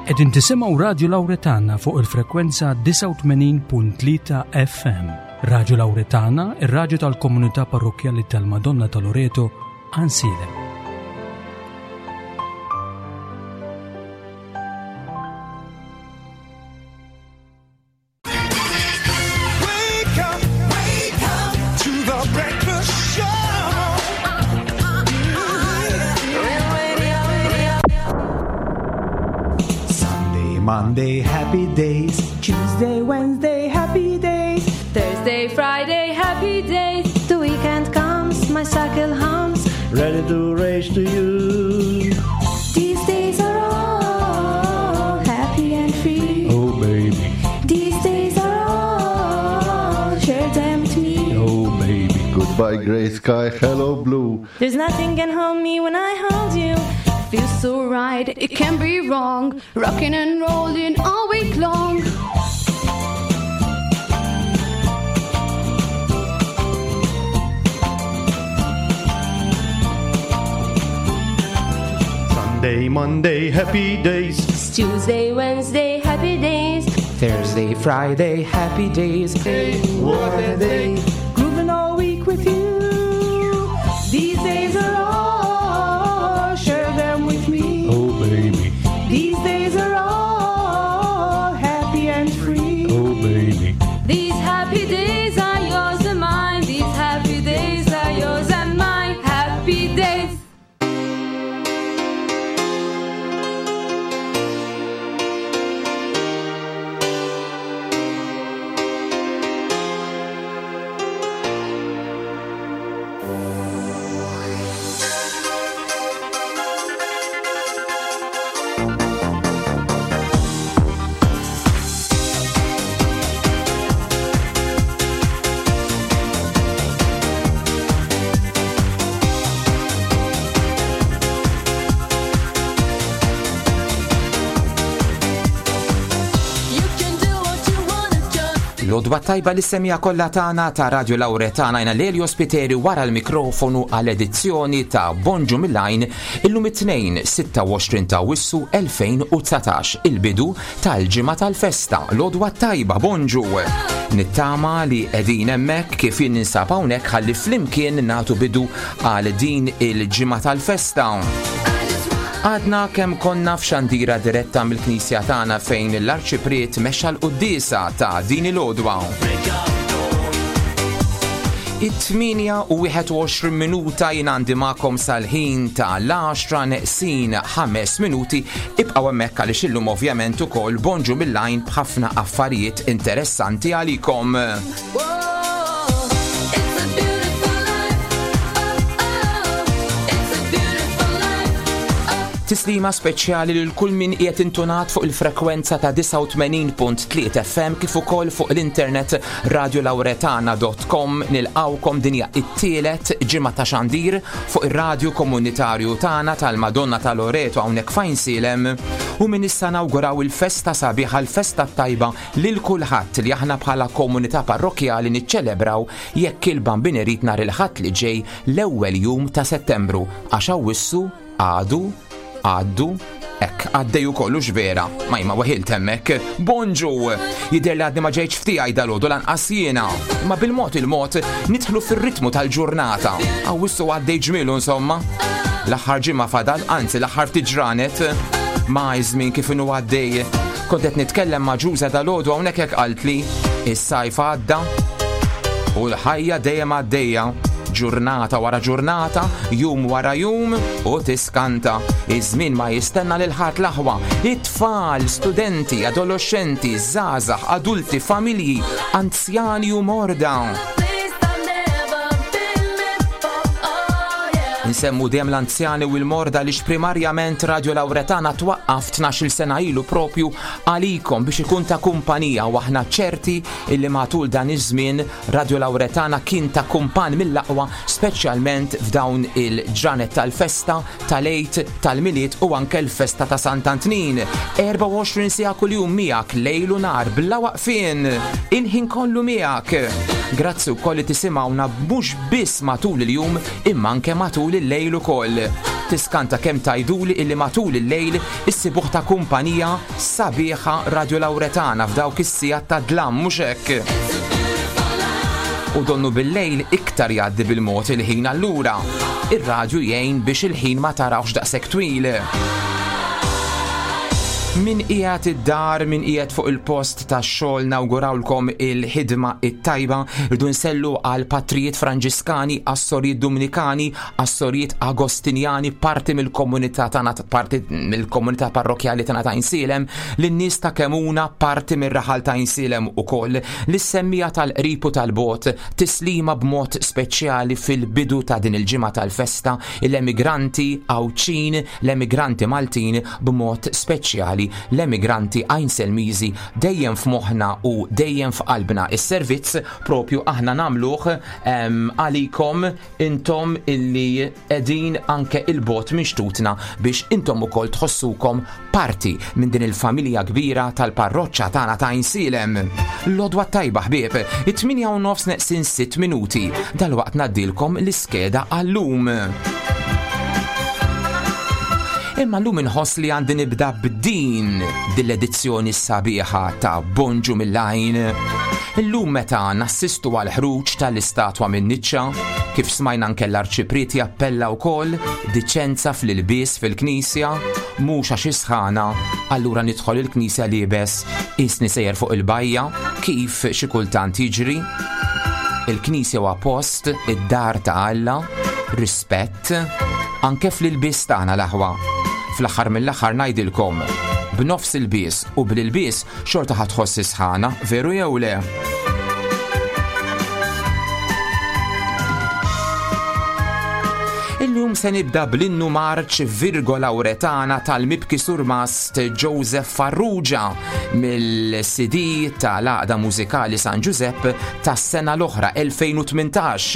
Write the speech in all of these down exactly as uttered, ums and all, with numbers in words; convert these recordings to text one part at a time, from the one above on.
Qegħdin tisimgħu Radio Lauretana fuq il-frekwenza disgħa u tmenin punt tlieta F M. Radio Lauretana, ir-radju tal-komunità parrokkjali tal-Madonna ta' Loreto, Għajnsielem. Wake up, wake up to the breakfast show. Sunday, Monday, happy days. Tuesday, Wednesday, happy days. Thursday, Friday, happy days. The weekend comes, my cycle hums. Ready to race to you. These days are all happy and free. Oh, baby. These days are all, share them with me. Oh, baby. Goodbye, gray sky, hello, blue. There's nothing can hold me when I hold you. Feels so right, it can't be wrong. Rocking and rolling all week long. Sunday, Monday, happy days. Tuesday, Wednesday, happy days. Thursday, Friday, happy days. What a day. Grooving all week with you. These days are all, share them with me. Oh, baby. These days are all happy and free. Oh, baby. These happy days are yours and mine. These happy days are yours and mine. Happy days. L-għodwa t-tajba lis-semmiegħa kollha tagħna ta' Radio Lauretana. Jiena Lelio Spiteri wara l-mikrofonu għall-edizzjoni ta' Bonġu mill-Għajn illum it-Tnejn sitta u għoxrin ta' Awwissu elfejn u dsatax, il-bidu tal-ġimgħa tal-festa. L-għodwa t-tajba, bonġu. Nittama li qegħdin hemmhekk kif jien ninsab hawnhekk ħalli flimkien nagħtu bidu għal din il-ġimgħa tal-festa. Għadna kemm konna f'xandira diretta mill-Knisja tagħna fejn l-Arċipriet mexxa l-quddiesa ta' din il-għodwa. It-tmienja u wieħed u għoxrin minuta, jien għandi magħkom sal-ħin ta' l-għaxra neqsin ħames minuti. Ibqgħu hemmhekk għaliex illum ovvjament ukoll Bonġu mill-Għajn b'ħafna affarijiet interessanti għalikom. It's a beautiful life. Oh, oh. It's a beautiful life. Tislima speċjali lil kull min qiegħed intunat fuq il-frekwenza ta' disgħa u tmenin punt tlieta F M kif ukoll fuq l-internet radiolauretana punt com. Nilqgħukom, din hija it-tielet ġimgħa ta' xandir fuq ir-radju komunitarju tagħna tal-Madonna ta' Loreto hawnhekk f'Għajnsielem u minn issa nawguraw il-festa sabiħa, l-festa tajba lil kulħadd li aħna bħala komunità parrokkjali niċċelebraw jekk il-Bambin irid nhar il-Ħadd li ġej, l-ewwel jum ta' Settembru, għax Awwissu għadu għaddu hekk għaddej kollu vera, ma jma weħilt hemmhekk. Bonġu! Jidher li għadni ma ġejtx f'tiegħi dalgħodu lanqas jiena. Imma bil-mod il-mod nidħlu fir-ritmu tal-ġurnata. Awwissu għaddej ġmielu insomma. L-aħħar ġimgħa fadal, anzi l-aħħar ftit ġranet, ma żmien kif inhu għaddej. Kont qed nitkellem ma' Ġuża dalgħodu hawnhekk, hekk qaltli, is-sajf għadda u l-ħajja dejjem għaddejja, ġurnata wara ġurnata, jum wara jum u tiskanta. Iż-żmien ma jistenna lil ħadd l-aħwa. It-tfal, studenti, adolescenti, żgħażagħ, adulti, familji, anzjani u morda. Place I've never been before. Oh, yeah. Nsemmu dejjem l-anzjani u l-morda li primarjament Radio Lauretana twaqqaf tnax-il sena ilu propju għalikom biex ikun ta' kumpanija u aħna ċerti illi matul dan iż-żmien Radio Lauretana kien ta' kumpan mill-aqwa, speċjalment f'dawn il-ġranet tal-festa, tal-Għid, tal-Milied u anke l-festa ta' Sant'Antnin. erbgħa u għoxrin siegħa kuljum miegħek, lejl u nhar bla waqfien, il-ħin kollu miegħek. Grazzi wkoll li tisimgħuna mhux biss matul il-jum imma anke matul il-lejl ukoll. Tiskanta kemm tgħiduli illi matul il-lejl issibuh ta' kumpanija sabiħa Radio Lauretana f'dawk is-sigħat ta' dlam, mhux hekk? U donnu bil-lejl iktar jgħaddi bil-mod il-ħin, allura ir-radju jgħin biex il-ħin ma tarawx daqshekk twil. Min qiegħed id-dar, min qiegħed fuq il-post tax-xogħol, nawgurawlkom il-ħidma it-tajba. Rridu nsellu għal patrijiet Franġiskani, għas-sorijiet Dominikani, għas-sorijiet Agostinjani, parti mill-komunità tagħna, parti mill-komunità parrokjali tagħna ta' Għajnsielem, lin-nies ta' Kemuna, parti mir-raħal ta' Għajnsielem ukoll, lis-semmija tal-qrib u tal-bot, tislima b'mod speċjali fil-bidu ta' din il-ġimgħa tal-festa, l-emigranti Għawdxin, l-emigranti Maltin, b'mod speċjali l-emigranti Għajnselmiżi, dejjem f'moħħna u dejjem f'qalbna. Is-servizz propju aħna nagħmluh, em, għalikom intom illi qegħdin anke il-bot minn xtutna biex intom ukoll tħossukom parti minn din il-familja kbira tal-parroċċa tagħna ta' Għajnsielem. L-għodwa tajba ħbieb, it-tmienja u nofs neqsin sitt minuti, dalwaqt ngħaddilkom l-iskeda għallum. Imma llum inħoss li għandi nibda b'din dil-edizzjoni sabiħa ta' Bonġu mill-Għajn. Illum meta nassistu għal ħruġ tal-istatwa minn niċċa, kif smajna anke l-arċipriet jappella wkoll diċenza fl-ilbies fil-knisja, mhux għax isħana, allura nidħol il-knisja liebes isni sejjer fuq il-bajja, kif xi kultant jiġri. Il-knisja huwa post id-dar ta' Alla, rispett, anke fl-ilbies tagħna l-aħwa. Fl-aħħar mill-aħħar ngħidilkom, b'nofs il-bies u bl-ilbies xorta ħa tħoss isħana, veru jew le? Illum se nibda bl-innu marċ Virgo Lauretana tal-mibki surmast Joseph Farrugia mill-C D tal-Għaqda Mużikali San Giuseppe tas-sena l-oħra elfejn u tmintax.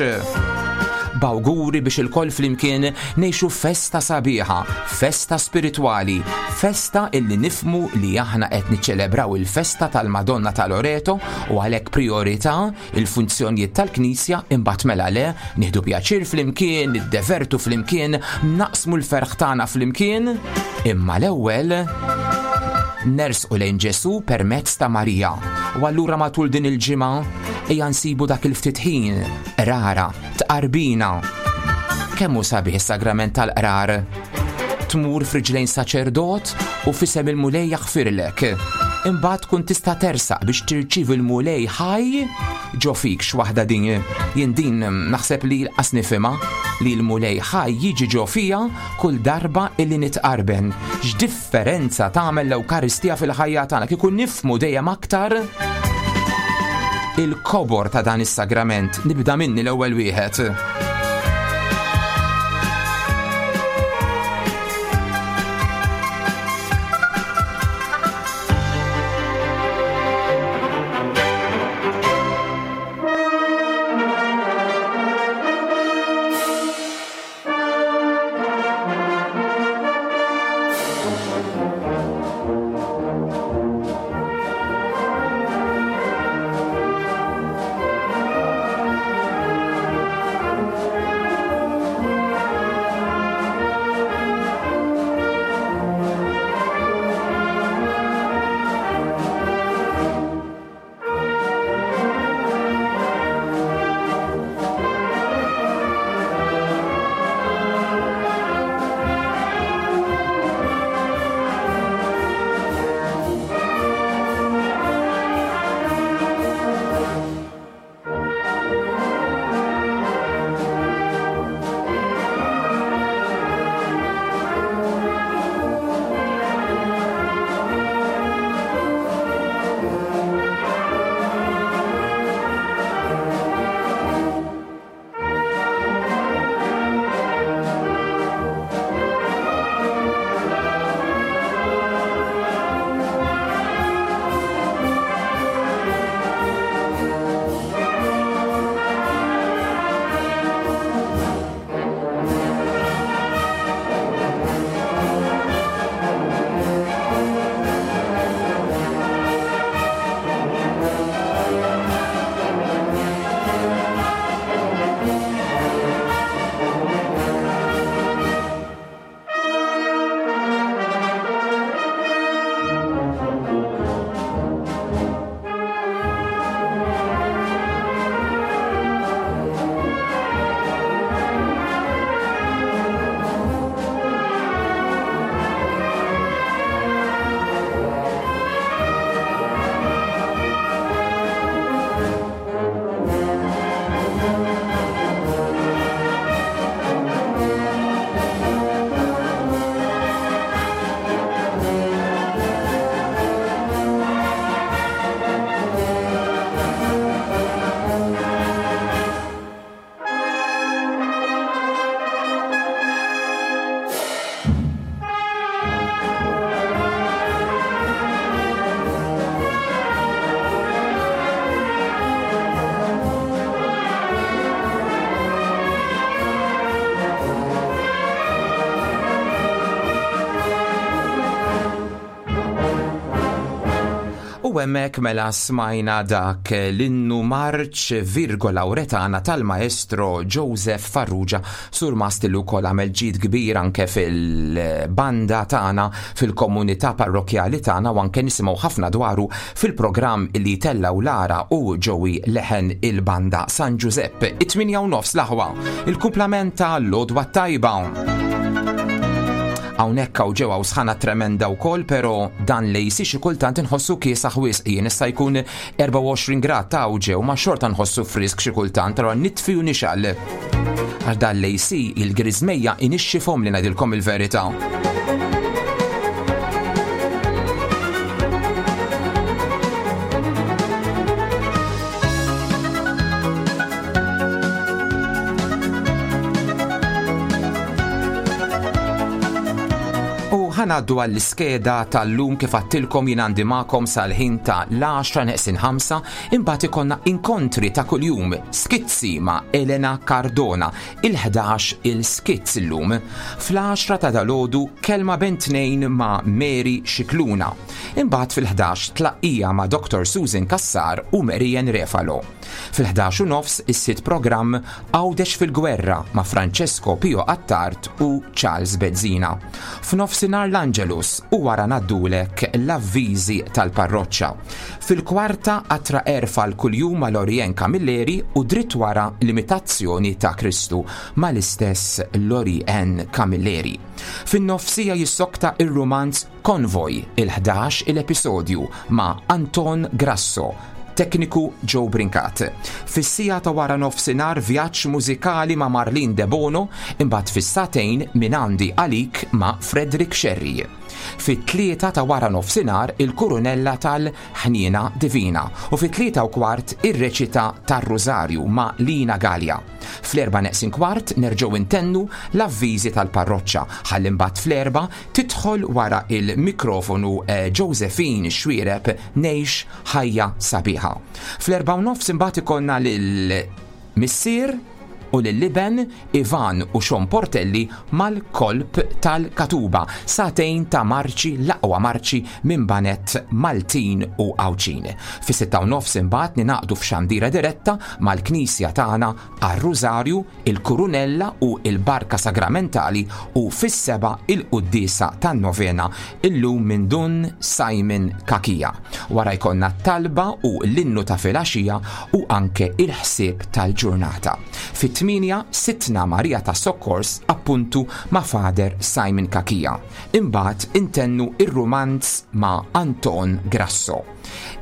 B'awguri biex il-koll flimkien ngħixu festa sabiħa, festa spiritwali, festa illi nifmu li aħna qed niċċelebraw il-festa tal-Madonna ta' Loreto u għalhekk priorità il-funzjonijiet tal-Knisja, imbagħad mela le nieħdu pjaċir flimkien, niddevertu flimkien, naqsmu l-ferħ tagħna flimkien, imma l-ewwel nersqu lejn Ġesu permezz ta' Marija. U allura matul din il-ġimgħa ejja nsibu dak il-ftit ħin, rara, tqarbina. Kemm hu sabiħ is-sagrament tal-qrar? Tmur f'riġlejn saċerdot u f'isem il-Mulej jaħfirlek. Imbagħad tkun tista' tersaq biex tirċievi l-Mulej ħaj ġo fik. X'waħda din, jien din naħseb li l-qas nifhimha, li l-Mulej ħaj jiġi ġo fija kull darba illi nitqarben. X'differenza tagħmel l-Ewkaristija fil-ħajja tagħna kieku nifhmu dejjem aktar il-kobor ta' dan is-sagrament. Nibda minni l-ewwel wieħed. Thank U hemmhekk mela smajna dak l-innu marċ Virgo Lauretana tal-maestro Joseph Farrugia, surmast li wkoll għamel ġid kbir anke fil-banda tagħna, fil-komunità parrokjali tagħna, u anke nisimgħu ħafna dwaru fil-programm li tellaw Lara u Joey leħen il-banda San Giuseppe. It-tmienja u nofs l-aħwa, il-kumplament ta' l-għodwa t-tajba. Hawnhekk hawn ġewwa sħana tremenda wkoll, però dan l-A C xi kultant inħossu kiesaħ wisq. Jien issa jkun erbgħa u għoxrin grad ta' ġew, ma xorta nħossu frisk xi kultant, però nitfi u nixgħel. Għal dan l-A C il-griżmejja inixxifhom li ngħidilkom il-verità. U ħa ngħaddu għall-iskeda tal-lum. Kif għedtilkom, jien għandi magħkom sal-ħin ta' l-għaxra neqsin ħamsa, imbagħad ikollna inkontri ta' kuljum, skizzi ma' Elena Cardona, il-ħdax il-skizz illum. Fl-għaxra ta' dalgħodu kelma bejn tnejn ma' Mary Xikluna. Imbagħad fil-ħdax tlaqqija ma' Doctor Susan Kassar u Marian Refalo. Fil-ħdax u nofs is-sitt programm Għawdex fil-Gwerra ma' Francesco Pio Attard u Charles Bezzina. F'nofsinhar l-Angelus u wara ngħaddulek l-avviżi tal-parroċċa. Fil-kwarta atra erfa l-kuljum ma' Lorien Camilleri u dritt wara l-imitazzjoni ta' Kristu mal-istess Lorien Camilleri. Fin-nofsija jissokta il-romanz Konvoj, il-ħdax il-episodju ma' Anton Grasso, tekniku Joe Brincat. Fis-siegħa ta' wara nofsinhar vjaġġ mużikali ma' Marlene De Bono, imbagħad fis-sagħtejn minn għandi għalik ma' Frederick Sherry. Fit-tlieta ta' wara nofsinhar il-Kurunella tal-Ħniena Divina u fit-tlieta u kwart ir-reċita tar-Rużarju ma' Lina Gallia. Fl-erba' neqsin kwart nerġgħu intennu l-avviżi tal-parroċċa, ħalli mbagħad fl-erbgħa tidħol wara il-mikrofonu eh, Josephine Xwireb, Ngħix Ħajja Sabiħa. Fl-erbgħa u nofs imbagħad ikollna lil missier u lill-iben Ivan u Sean Portelli mal-kolp tal-Katuba. Sagħtejn ta' marċi, l-aqwa marċi minn baned Maltin u Għawdxin. Fi sitta u nofs imbagħad ningħaqdu f'xandira diretta mal-Knisja tagħna għar-Rużarju, il-Kurunella u il-Barka Sagramentali u fis-sebgħa il-Quddiesa tan-Novena illum minn Dun Simon Kakija. Wara jkollna talba u l-innu ta' filgħaxija u anke il-ħsieb tal-ġurnata. Fit-tmienja Sidtna Marija ta' Sokkors, appuntu ma' Father Simon Kakija. Imbagħad intennu ir-romanz ma' Anton Grasso.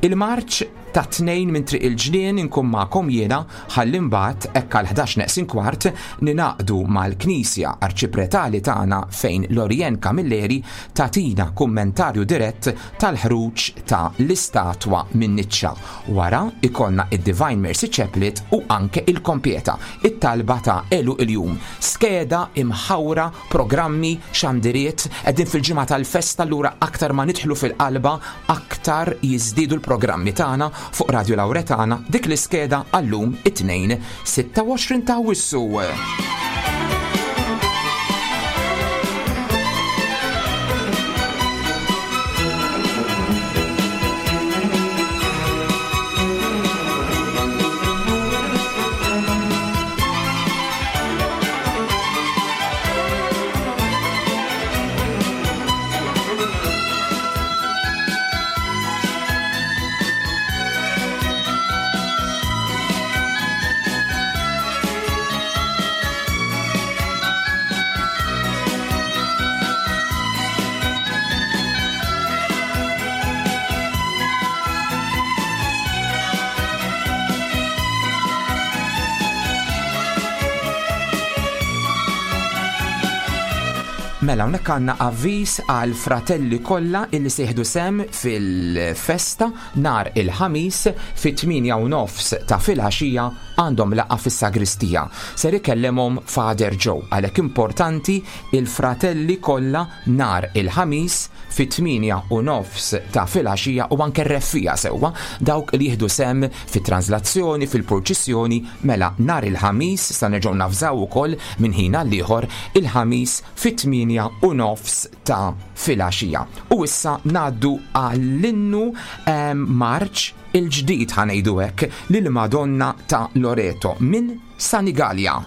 Il-marċ ta' tnejn minn Triq il-Ġnien inkun magħkom jiena, ħalli mbagħad hekk għal ħdax neqsin kwart ningħaqdu mal-Knisja Arċipretali tagħna fejn Lorien Camilleri tagħtina kummentarju dirett tal-ħruġ ta' l-istatwa minn niċċa. Wara ikollna id-Divine Mercy Chaplet u anke il-Kompieta, it-talba ta' għeluq il-jum. Skeda imħawra, programmi, xandiriet, qegħdin fil-ġimgħa tal-festa, allura aktar ma nidħlu fil-qalba, aktar jiżdiedu l-programmi tagħna fuq Radio Lauretana. Dik l-iskeda għallum, it-tnejn sitta u għoxrin ta' Awwissu. Mela, hawnhekk għandna avviż għal fratelli kollha illi se jieħdu sehem fil-festa nhar il-Ħamis fit-tmienja u nofs ta' filgħaxija għandhom laqgħa fis-sagristija. Ser ikellimhom Father Joe, għalhekk importanti il-fratelli kollha nhar il-Ħamis fit-tmienja u nofs ta' filgħaxija u anke r-reffija sewwa, dawk li jieħdu sehem fit-translazzjoni, fil-purċissjoni, mela nhar il-Ħamis sa nerġgħu navżaw ukoll minn ħin għal ieħor, il-Ħamis fit-tmienja fit-tmienja u nofs ta' filgħaxija. U issa ngħaddu għall-innu marċ il-ġdid ħa ngħidu hekk lil Madonna ta' Loreto minn Sanigallia.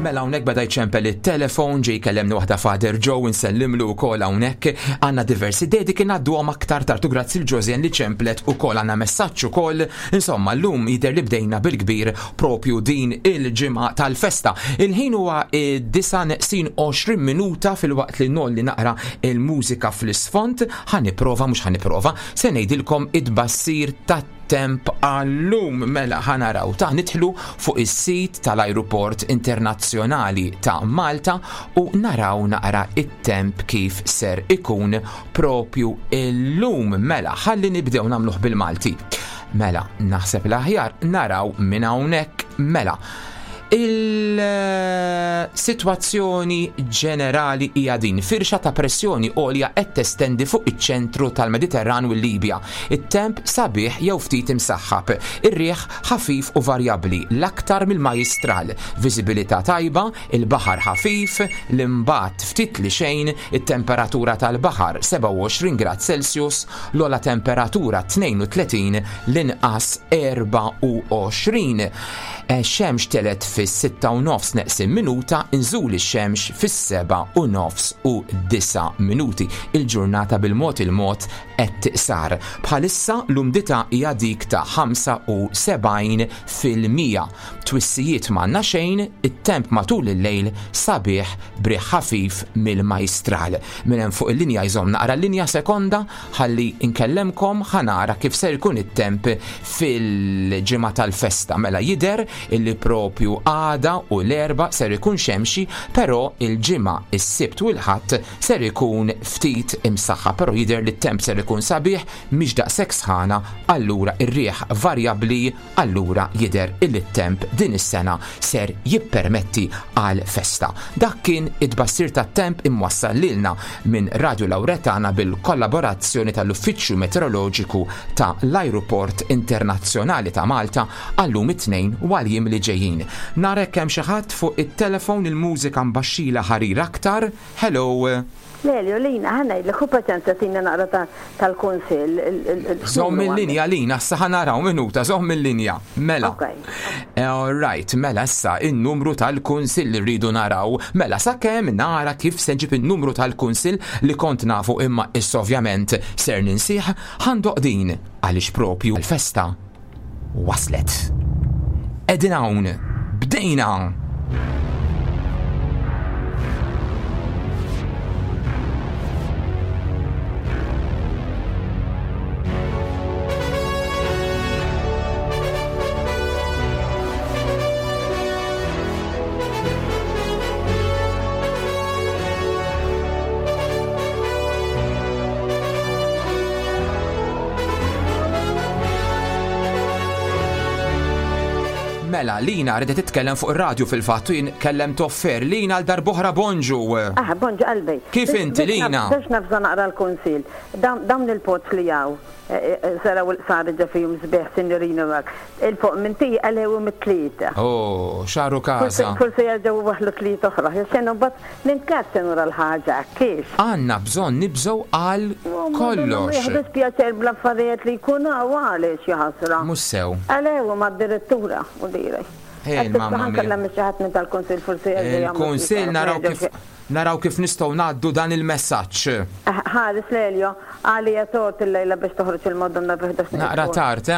Mela hawnhekk beda jċempel it-telefon, ġej kellemni waħda Father Joe, insellimlu wkoll hawnhekk. Għandna diversi dediki ngħadduhom aktar tartu grazzi l Josian li ċemplet ukoll għandna messaġġ ukoll. Insomma, llum jidher li bdejna bil-kbir propju din il-ġimgħa tal-festa. Il-ħin huwa disa neqsin għoxrin minuta fil-waqt li nolli naqra il-mużika fl-isfond. Ħa nipprova, mhux ħa nipprova, se ngħidilkom id-bassir tat it-temp għallum. Mela ħa naraw ta' nidħlu fuq is-sit tal-Ajruport Internazzjonali ta' Malta u naraw naqra it-temp kif ser ikun propju illum. Mela ħalli nibdew nagħmluh bil-Malti. Mela naħseb l-aħjar naraw minn hawnhekk. Mela il-sitwazzjoni ġenerali hija din: firxa ta' pressjoni għolja qed testendi fuq iċ-ċentru tal-Mediterran u l-Libja. It-temp sabiħ jew ftit imsaħħab, ir-riħ ħafif u varjabbli l-aktar mill-majjistral, viżibilità tajba, il-baħar ħafif, l-imbat ftit li xejn, it-temperatura tal-baħar sebgħa u għoxrin grad Celsius, l-ogħla temperatura tnejn u tletin, l-inqas erbgħa u għoxrin. Xemx telet fis-sitta u nofs neqsin minuta, inżul ix-xemx fis-seba' u nofs u disa' minuti. Il-ġurnata bil-mod il-mod qed tiqsar. Bħalissa l-umdità hija dik ta' ħamsa u sebgħin fil-mija. Twissijiet m'għandna xejn, it-temp matul il-lejl sabiħ briħ ħafif mill-majstral. Minn hemm fuq il-linja jżomm naqra l-linja sekonda ħalli nkellemkom ħa nara kif ser ikun it-temp fil-ġimgħa tal-festa. Mela jidher illi propju għada u l-Erbgħa ser ikun xemxi, però il-ġimgħa, is-Sibt u l-Ħadd ser ikun ftit imsaħħa, però jidher li t-temp ser ikun sabiħ, mhix daqshekk sħana, allura ir-riħ varjabbli, allura jidher illi t-temp din is-sena ser jippermetti għal festa. Dak kien it-tbassir tat-temp imwassal lilna minn Radio Lauretana bil-kollaborazzjoni tal-Uffiċċju Meteoroloġiku ta' l-Ajruport Internazzjonali ta' Malta għallum it-Tnejn u għal-jiem li ġejjin. Narek hemm xi ħadd fuq it-telefon, il-mużika mbaxxila ħarir aktar. Hello. Lelio, Lina, ħa ngħidlek, hu paċenza tina naqra ta-, tal-kunsill, il-, il-, il-, Żomm il-linja, Lina, issa ħa naraw minuta, żomm il-linja. Mela. Ok. All right, mela issa in-numru tal-kunsill li rridu naraw. Mela sakemm nara kif se nġib in-numru tal-kunsill li kont nafu imma issa ovvjament ser ninsih, ħandoq din għaliex propju l-festa waslet. Qegħdin hawn, bdejna. Mela, Lina ridet titkellem fuq ir-radju fil-fatt u jien kellem toffer. Lina għal darb'oħra bonġu. Ah, bonġu qalbi. Kif Biex- inti, biex Lina? naf-, Biex nafza naqra l-kunsil. Dawn, dawn il-pots li jaw, eh, eh, saraw il-qsar ġa fihom sbieħ, sinjorina mak. Il-fuq minn tija għalhew mit-tlieta. Oh, xaru Forsi kaza. forsi jerġgħu waħlu tlieta oħra. Xenu mbagħad ninkat nura l-ħaġa, kif? Għandna bżonn nibżgħu għal kollox. Jieħdu pjaċer bl-affarijiet li jkunu għaliex jaħasra. Mhux sew. Għalhew mad-direttura u direj. Ej, Qed mamma tista' mia. nkellem xi ħadd minn tal-kunsill forsi jerġa' jagħmlu Il-kunsill xi naraw ħaġa. kif naraw kif nistgħu ngħaddu dan il-messaġġ. Eh, ħares Lelio, għalija tort il-lejla biex toħroġ il-Madonna fi ħdax Naqra tard, eh?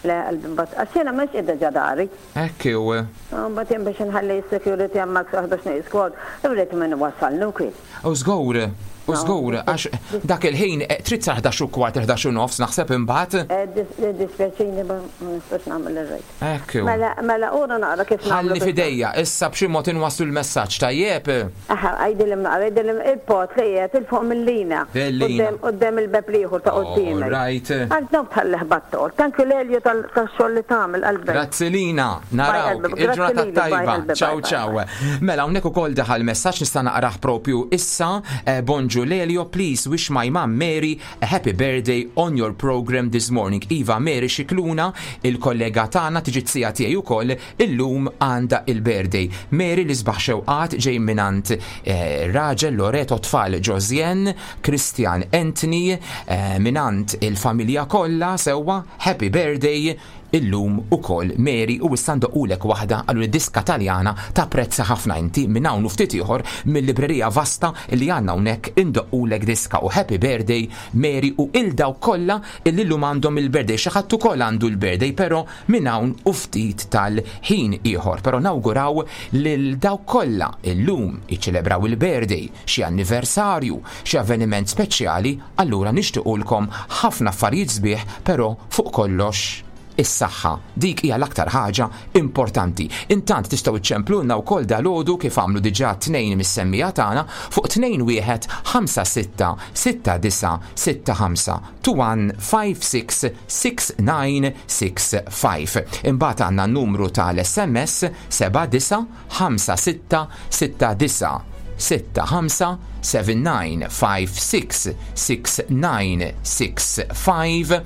Le, qalbi mbagħad. Għax jiena mhux qiegħda ġa dari. Hekk hu. Ah, mbagħad jien biex inħalli s-security hemmhekk sa ħdax nieqes kwart, irrid minn wasalni wkoll. U żgur, u żgur, għax dak il-ħin, eh, trid sa ħdax u kwart, ħdax u nofs, naħseb imbagħad. Eh, dis-, eh, dispjaċini, ma nistax nagħmel ir-rejt. Hekk hu. Mela, mela, ura naqra kif nagħmlu Ħalli biex fidejja, issa b'xi mod inwasslu l-messaġġ, tajjeb? Aha, għajdilhom naqra, għajdilhom il-pot li qiegħed il-fuq mill-lina. Mill-lina. Quddiem, quddiem il-beb l-ieħor ta' quddiemek. All right. Għax dawk tħallih battol. Thank you Lelio tal-, tax-xogħol li tagħmel qalbek. Grazzi Lina, narawk. Bye, qalbi. Grazzi Il-ġurnata lili, bye, tajba. qalbi, bye, Ciao, bye, ciao. bye. Mela, hawnhekk ukoll daħal messaġġ nista' naqrah propju issa. Eh, bonġu Lelio, please wish my mom Mary a happy birthday on your program this morning. Iva Mary Xikluna, il-kollega tagħna tiġi tsija tiegħi wkoll, illum għandha il-birthday. Mary li sbaħ xewqat ġej minant, eh, raġel Loreto tfal Josien, Christian Anthony, eh, minant il-familja kollha sewwa happy birthday illum ukoll Mary u issa ndoqqulek waħda għallu li diska Taljana ta' prezza ħafna inti minn hawn u ftit ieħor mill-librerija vasta li għandna hawnhekk indoqqulek diska u happy birthday Mary u il daw kollha illi llum għandhom il-birthday. Xi ħadd ukoll għandu l-birthday però minn hawn u ftit tal-ħin ieħor. Però nawguraw lil daw kollha illum iċċelebraw il-birthday, xi anniversarju, xi avveniment speċjali, allura nixtiequlkom ħafna affarijiet sbieħ, però fuq kollox is-saħħa. Dik hija l-aktar ħaġa importanti. Intant tistgħu iċċemplulna wkoll dalgħodu kif għamlu diġà tnejn mis-semmija tagħna fuq tnejn wieħed ħamsa sitta sitta disa' sitta ħamsa two one five six six nine six five. Imbagħad għandna n-numru tal-S M S seba' disa' ħamsa sitta sitta disa' sitta ħamsa seven nine five six six nine six five.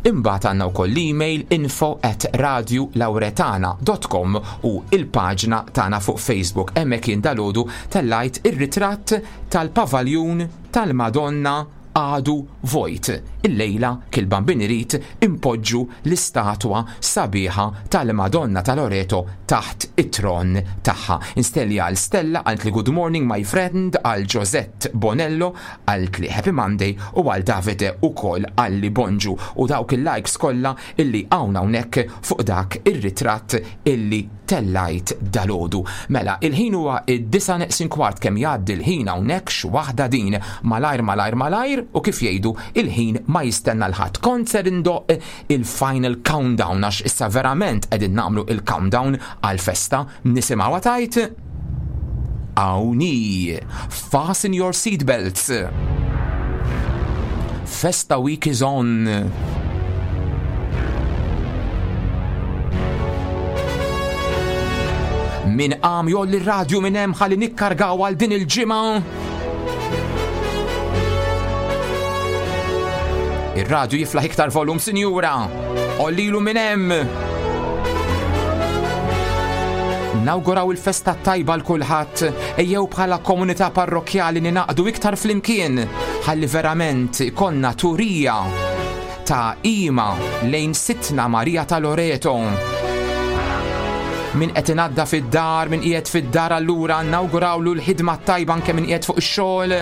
Imbagħad għandna wkoll l-email info at radio lauretana dot com u il-paġna tagħna fuq Facebook. Hemmhekk jien dalgħodu tellajt ir-ritratt tal-pavaljun tal-Madonna għadu vojt. Illejla kil Bambin irid impoġġu l-istatwa sabiħa tal-Madonna ta' Loreto taħt it-tron tagħha. Instelli għal Stella, għalt li good morning my friend, għal Josette Bonello, għalt li happy Monday u għal Davide u kol għal li bonġu u dawk il-likes kollha illi hawn hawnhekk fuq dak ir-ritratt illi tellajt dalodu. Mela, il-ħin huwa id-disa' neqsin kwart kemm jgħaddi l-ħin hawnhekk x'waħda din malajr malajr malajr u kif jgħidu il-ħin ma jistenna l-ħadd. Kont ser indoq il-final countdown għax issa verament qegħdin nagħmlu il-countdown għal-festa. Nisimgħu tajt Awni. Fasten your seatbelts. Festa week is on. Min qam jolli r-radju minn hemm ħalli nikkargaw għal din il-ġimgħa. Ir-radju jiflaħ iktar volum, sinjura. Ollilu minn hemm. Nawguraw il-festa tajba l kulħadd, ejjew bħala komunità parrokkjali ninaqdu iktar flimkien ħalli verament ikollna turija ta' qima lejn Sidtna Marija ta' Loreto. Min qed inadda fid-dar, min qiegħed fid-dar allura nawgurawlu l-ħidma tajba anke min qiegħed fuq ix-xogħol.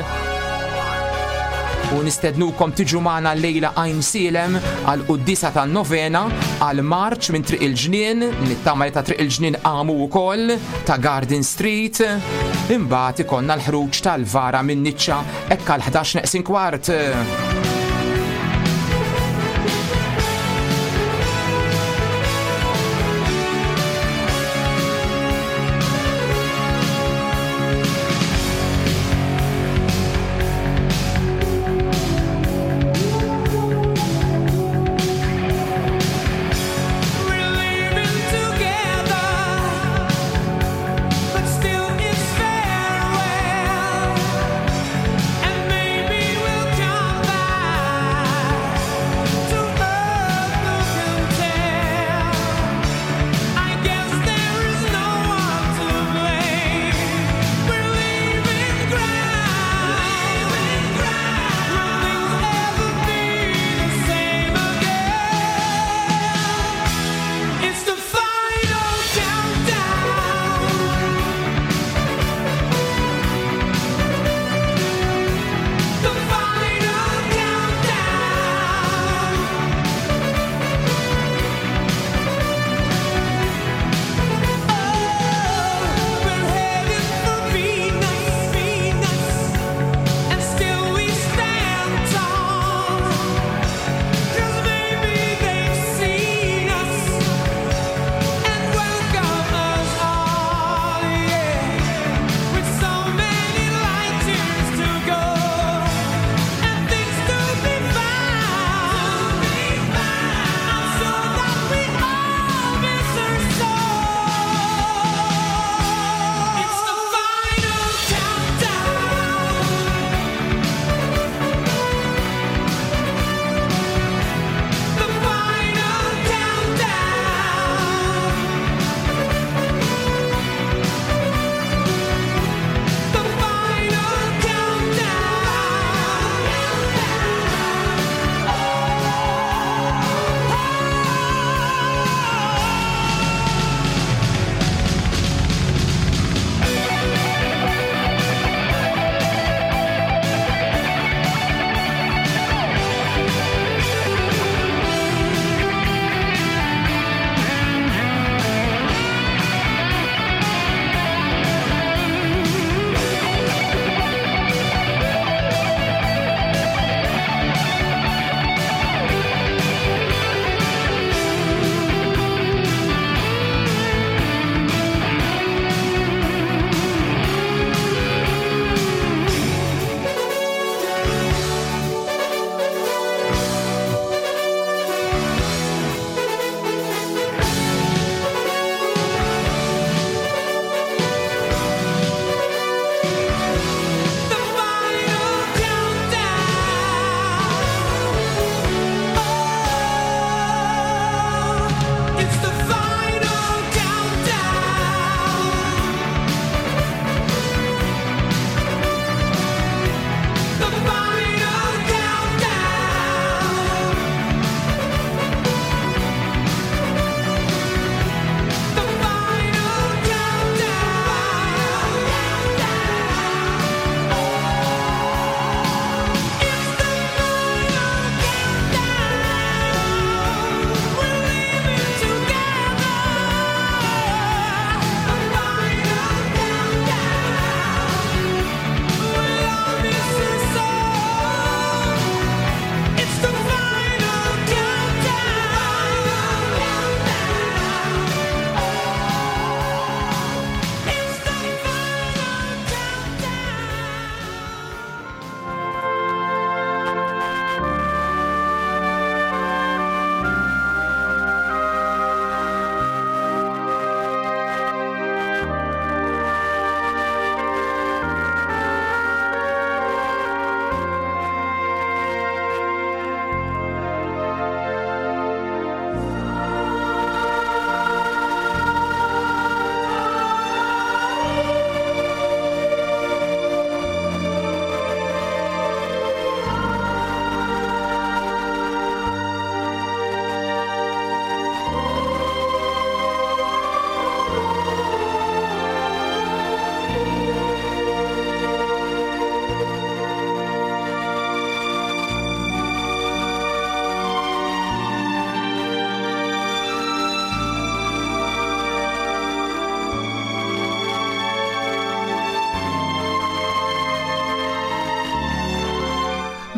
U nistednukom tiġu magħna llejla Għajnsielem għal quddisa tan-novena għal marċ minn Triq il-Ġnien, nittama li ta' Triq il-Ġnien qamu wkoll ta' Garden Street. Imbagħad ikollna l-ħruġ tal-vara minn Niċċa hekk għal ħdax neqsin kwart. Farewell, and maybe we'll come back.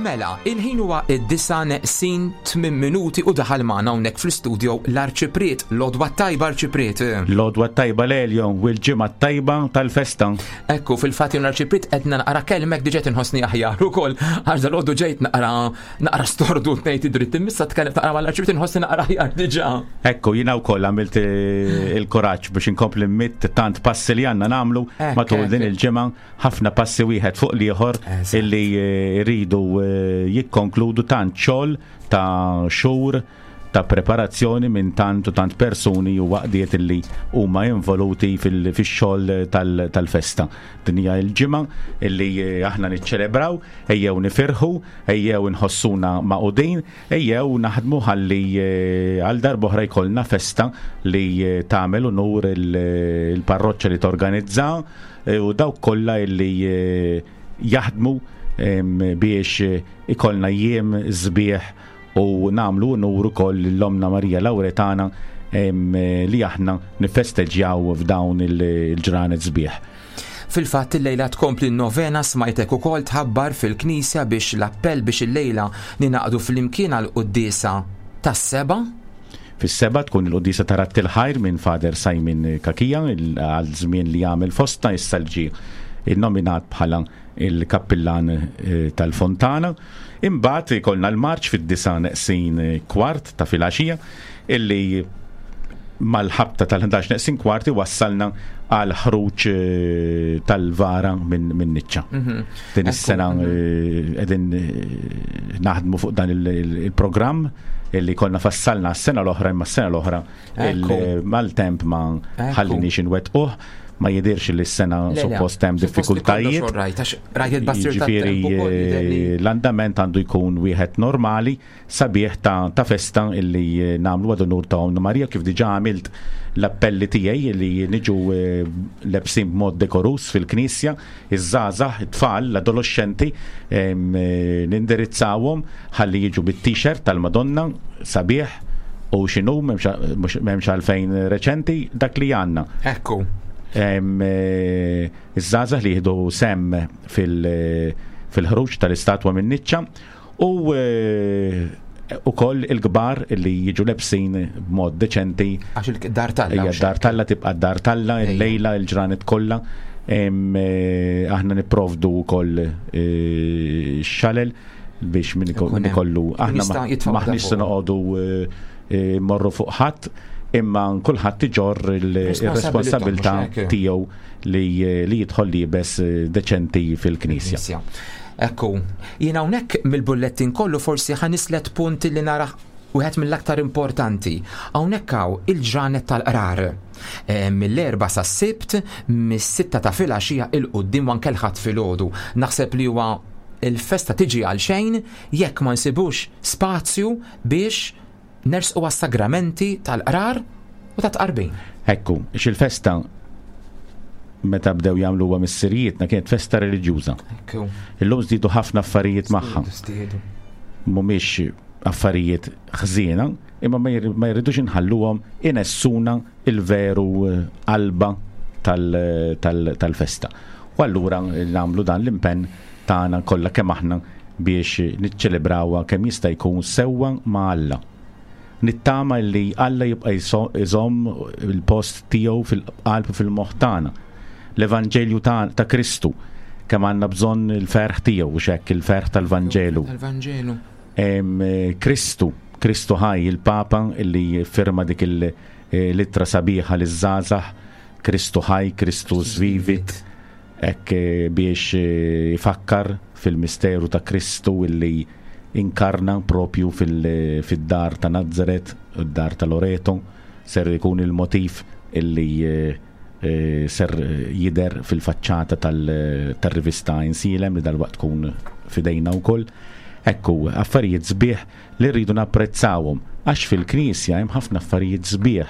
Mela, il-ħin huwa id-disa neqsin tmien minuti u daħal magħna hawnhekk fl-istudio l-Arċipriet, l-Odwa Tajba Arċipriet. L-Odwa Tajba Lelio u l-ġimgħa tajba tal-festa. Ekku, fil-fatt jien l-Arċipriet qed naqra kelmek diġà inħossni aħjar ukoll għax dal-għodu ġejt naqra naqra stordu ngħid id-dritt imissa tkellem naqra mal-Arċipriet inħossni naqra aħjar diġà. Ekku, jiena wkoll għamilt eh, il-kuraġġ biex inkompli mitt tant passi li għandna nagħmlu matul din il-ġimgħa, ħafna passi wieħed fuq l-ieħor illi eh, rridu eh, jikkonkludu tant xogħol ta' xhur ta' preparazzjoni minn tant u tant persuni u waqdiet illi huma involuti fil-xogħol tal-festa. Din hija l-ġimgħa illi aħna niċċelebraw, ejjew nifirħu, ejjew nħossuna maqudin, ejjew naħdmu ħalli għal darb'oħra jkollna festa li tagħmel unur il-parroċċa li torganizza u dawk kollha illi jaħdmu biex ikollna jiem sbieħ u namlu unur ukoll l-Omna Marija Lauretana li aħna nifesteġġjaw f'dawn il-ġranet sbieħ. Fil-fatt il-lejla tkompli n-novena smajtek ukoll tħabbar fil-knisja biex l-appell biex il-lejla ninaqdu fl-imkien għal quddiesa tas-seba. Fis-seba tkun il-quddiesa ta' Radd il-Ħajr minn Father Simon Kakija għal żmien li jagħmel fosta issa ġie innominat bħala il-kappillan tal-Fontana. Imbagħad ikollna l-marċ fid-disa neqsin kwart ta' filgħaxija illi mal-ħabta tal-ħdax neqsin kwart wassalna għal ħruġ tal-vara minn min niċċa. Din is-sena qegħdin naħdmu fuq dan il-programm illi konna fassalna s-sena l-oħra, imma s-sena l-oħra mal-temp ma ħallinix inwettquh. Ma jidirx li s-sena suppost hemm diffikultajiet. Jiġifieri l-andament għandu jkun wieħed normali sabiħ ta', ta festa illi nagħmlu għad unur ta' Omna Marija, kif diġà għamilt l-appelli tiegħi li niġu lebsin b'mod dekorus fil-knisja, iż-żgħażagħ, it-tfal, l-adolescenti nindirizzawhom ħalli jiġu bit-t-shirt tal-Madonna sabiħ u x'inhu m'hemmx għalfejn reċenti dak li għandna. Ekku. Iż-żgħażagħ li jieħdu sem fil-ħruġ tal-istatwa minn niċċa u ukoll il-kbar li jiġu lebsin b'mod deċenti. Għax il-dar talla. Dar talla tibqa' dar talla, il-lejla, il-ġranet kollha. Aħna nipprovdu wkoll xalel biex min ikollu aħna maħniex se noqogħdu morru fuq ħadd, imma kulħadd iġorr ir-responsabilità tiegħu li jidħol liebes deċenti fil-knisja. Ekku, jien hawnhekk mill-bullettin kollu forsi ħanislet punti li nara wieħed mill-aktar importanti. Hawnhekk hawn il-ġranet tal-qrar. Mill-erba sas-Sibt, mis-sitta ta' filgħaxija il quddiem u anke l-Ħadd filgħodu. Naħseb li huwa il-festa tiġi għal xejn jekk ma nsibux spazju biex nersqu għas-sagramenti tal-qrar u ta' tqarbin. Ekku, il-festa meta bdew jagħmluha missirijietna kienet festa reliġjuża. Ekku. Illum żdiedu ħafna affarijiet magħha. Mhumiex affarijiet ħżiena, imma ma jridux inħalluhom inessuna il-veru qalba tal-festa. U allura nagħmlu dan l-impenn tagħna kollha kemm aħna biex niċċelebrawha kemm jista' jkun sewwa ma' Alla. Nittama li Alla jibqa' jżomm il-post tiegħu fil-qalb u fil-moħħ tagħna. L-Evanġelju ta' Kristu, kemm għandna bżonn il-ferħ tiegħu, u x'hekk il-ferħ tal-Vanġelu. Tal-Vanġelu. Kristu, Kristu ħaj, il-Papa illi firma dik il-littra sabiħa liż-żgħażagħ, Kristu ħaj, Kristu vivit, hekk biex ifakkar fil-misteru ta' Kristu illi inkarna propju fil-dar ta' Nazzaret, id-dar ta' Loreto, ser ikun il-motif illi ser jider fil-faċċata tal-rivista Insilem li dalwaqt tkun fidejna wkoll. Ekku, affarijiet sbieħ li rridu napprezzawhom, għax fil-knisja hemm ħafna affarijiet sbieħ.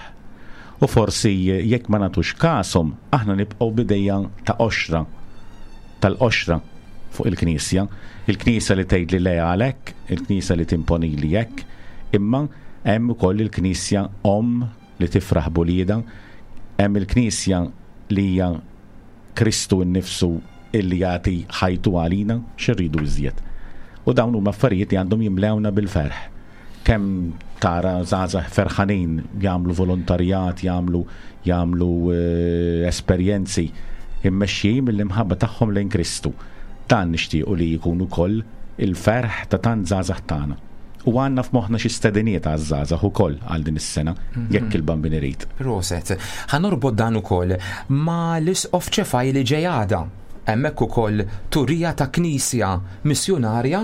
U forsi jekk ma nagħtux kashom, aħna nibqgħu bidejja ta' qoxra, tal-qoxra fuq il-knisja. Il-knisja li tgħid li le għalhekk, il-knisja li timponi li hekk, imma hemm ukoll il-knisja omm li tifraħ b'uliedha, hemm il-knisja li hija Kristu nnifsu illi jagħti ħajtu għalina, x'irridu iżjed. U dawn huma affarijiet li għandhom jimlewna bil-ferħ. Kemm tara żgħażagħ ferħanin jagħmlu volontarjat, jagħmlu jagħmlu eh, esperjenzi immexxijin mill-imħabba tagħhom lejn Kristu. Dan nixtiequ li jkun ukoll il-ferħ ta' tant żgħażagħ tagħna. U għandna f'moħħna xi stediniet għaż-żgħażagħ ukoll għal din is-sena, jekk il-Bambin irid. Proset. Ħa norbot dan ukoll ma l-isqof Ċefaj li ġej għada. Hemmhekk ukoll turija ta' knisja missjunarja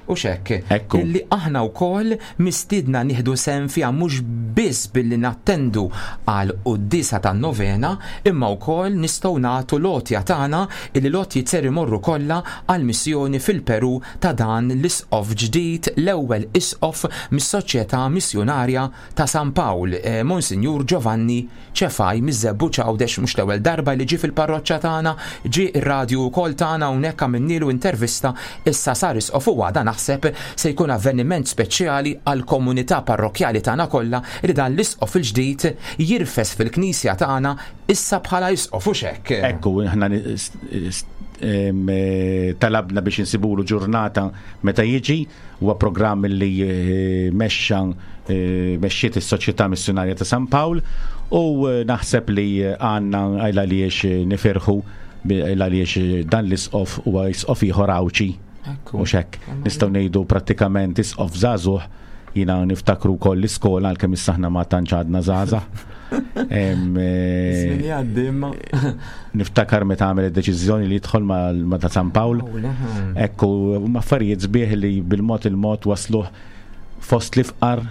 u xekk. Ekku. Illi aħna wkoll mistiedna nieħdu sehem fiha mhux biss billi nattendu għal quddiesa tan-novena, imma wkoll nistgħu nagħtu l-għotja tagħna, illi l-għotjiet ser imorru kollha għal missjoni fil-Peru ta' dan l-isqof ġdid, l-ewwel isqof mis-Soċjetà Missjunarja ta' San Pawl, eh, Monsinjur Giovanni Ċefaj miż-Żebbuġ Għawdex. Mhux l-ewwel darba li ġie fil-parroċċa tagħna, ġie ir-radju wkoll tagħna hawnhekk, għamilnielu intervista, issa sar isqof u għada naħseb se jkun avveniment speċjali għal komunità parrokkjali tagħna kollha li dan l-isqof il-ġdid jirfes fil-knisja tagħna issa bħala isqof, u xek. Ekku, aħna ni- s- s- em, eh, talabna biex insibulu ġurnata meta jiġi. Huwa programm li eh, mexxa eh, mexxiet is-Soċjetà Missjunarja ta' San Pawl u eh, naħseb li għandna għajla li nifirħu għaliex dan l-isqof huwa isqof ieħor Għawdxi. Ekku. U xek, nistgħu ngħidu prattikament isqof żagħżugħ. Jiena niftakru wkoll l-iskola, għalkemm issa aħna ma tantx għadna żgħażagħ. Em, eh, Jgħaddi imma. Niftakar meta għamel id-deċiżjoni li jidħol ma' ma' ta' San Pawl. Ekku, huma affarijiet sbieħ li bil-mod il-mod wasluh fost l-ifqar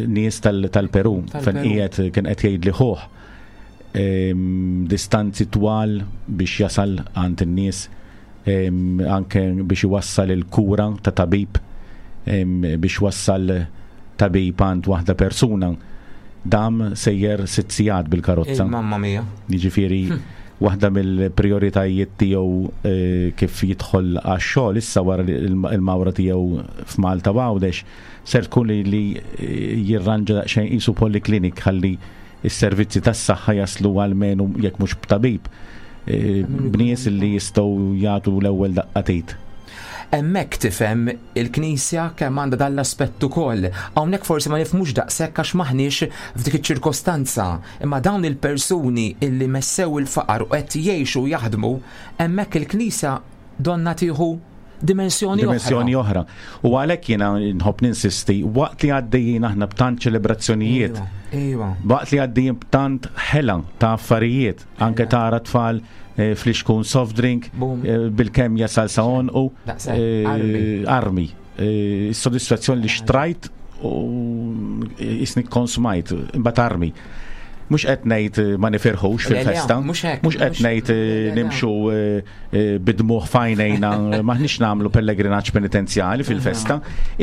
nies tal- tal-Peru. Tal-Peru. Fejn qiegħed kien qed jgħid li ħuh em, distanzi twal biex jasal għand in-nies, em, anke biex iwassal il-kura ta' tabib, em, biex wassal tabib għand waħda persuna dam sejjer sitt sigħat bil-karozza. Mamma mia. Jiġifieri waħda mill-prioritajiet tiegħu eh, kif jidħol għax-xogħol issa wara li il- il-mawra tiegħu f'Malta u Għawdex ser tkun li, li eh, jirranġa daqsxejn qisu polyclinic ħalli s-servizzi tas-saħħa jaslu għalmenu jekk mhux b'tabib eh, b'nies li jistgħu jagħtu l-ewwel daqqa t'id. Hemmhekk tifhem il-Knisja kemm għandha dan l-aspett ukoll. Hawnhekk forsi ma nifhmux daqshekk għax maħniex f'dik iċ-ċirkostanza. Imma dawn il-persuni illi messew il-faqar u qed jgħixu u jaħdmu, hemmhekk il-Knisja donna tieħu dimensjoni dimensjoni oħra. oħra. U għalhekk jiena nħobb ninsisti waqt li għaddejjin aħna b'tant ċelebrazzjonijiet, Iva. waqt li għaddejjin b'tant ħela ta' affarijiet, anke tara tfal eh, flixkun soft drink Boom. eh, bil-kemm jasal sa u Daqshekk, eh, armi. armi. Eh, Is-sodisfazzjoni li xtrajt u jisni konsumajt, imbagħad armi. Mhux qed ngħid eh, ma nifirħux Le, le, fil-festa, mhux hekk, mhux qed mhux- ngħid eh, le, le. nimxu eh, eh, bid-dmugħ f'għajnejna, maħniex nagħmlu pellegrinaġġ penitenzjali fil-festa,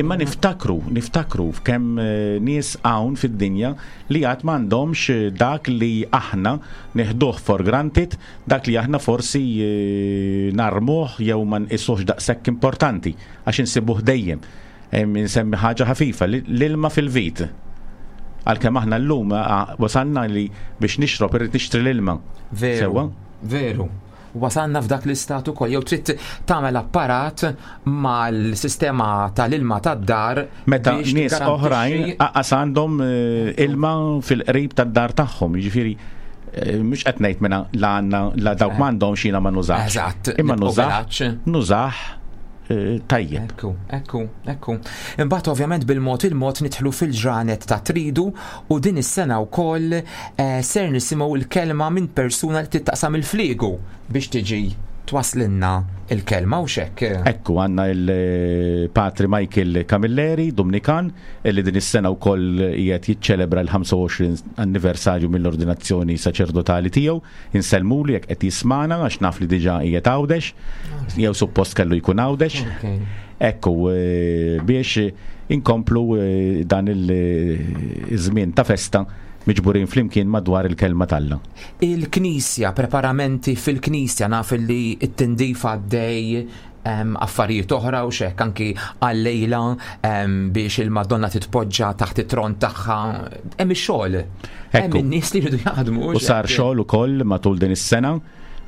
imma niftakru, niftakru f'kemm eh, nies hawn fid-dinja li għad m'għandhomx eh, dak li aħna neħduh for granted, dak li aħna forsi eh, narmuh jew ma nqisuhx daqshekk importanti għax insibuh dejjem. Em, Insemmi ħaġa ħafifa, li- l-ilma fil-vit. Għalkemm aħna llum ah, wasalna li biex nixrob irrid nixtri l-ilma. Veru. Sewwa? Veru. Wasalna f'dak l-istat ukoll jew trid tagħmel apparat mal-sistema tal-ilma tad-dar Meta biex nies tiggarantixxi- oħrajn aqas għandhom eh, ilma fil-qrib tad-dar tagħhom, jiġifieri eh, mhux qed ngħid minn la għandna la dawk m'għandhomx jiena ma nużax. Eżatt, Imma nibqgħu nużax, velaċ. nużax eh, tajjeb. Ekku, ekku, ekku. Imbagħad ovvjament bil-mod il-mod nidħlu fil-ġranet ta' tridu u din is-sena wkoll eh, ser nisimgħu l-kelma minn persuna li tittaqsam il-fliegu biex tiġi twaslinna il-kelma u xek. Ekku, għandna il-Patri Michael Camilleri, Dominikan, illi din is-sena wkoll qiegħed jiċċelebra l-ħamsa u għoxrin anniversarju mill-ordinazzjoni saċerdotali tiegħu. Insellmulu jekk qed jismana, għax naf li diġà qiegħed Għawdex, jew suppost kellu jkun Għawdex. Okay. Ekku, eh, biex inkomplu eh, dan il-żmien ta' festa miġburin flimkien madwar il-kelma t'Alla. Il-knisja, preparamenti fil-knisja, naf li it-tindif għaddej, em, affarijiet oħra u xek anki għal-lejla em, biex il-Madonna titpoġġa taħt it-tron tagħha. Hemm ix-xogħol. Hemm Ekku. in-nies li jridu jaħdmu. U sar xek. xogħol ukoll matul din is-sena.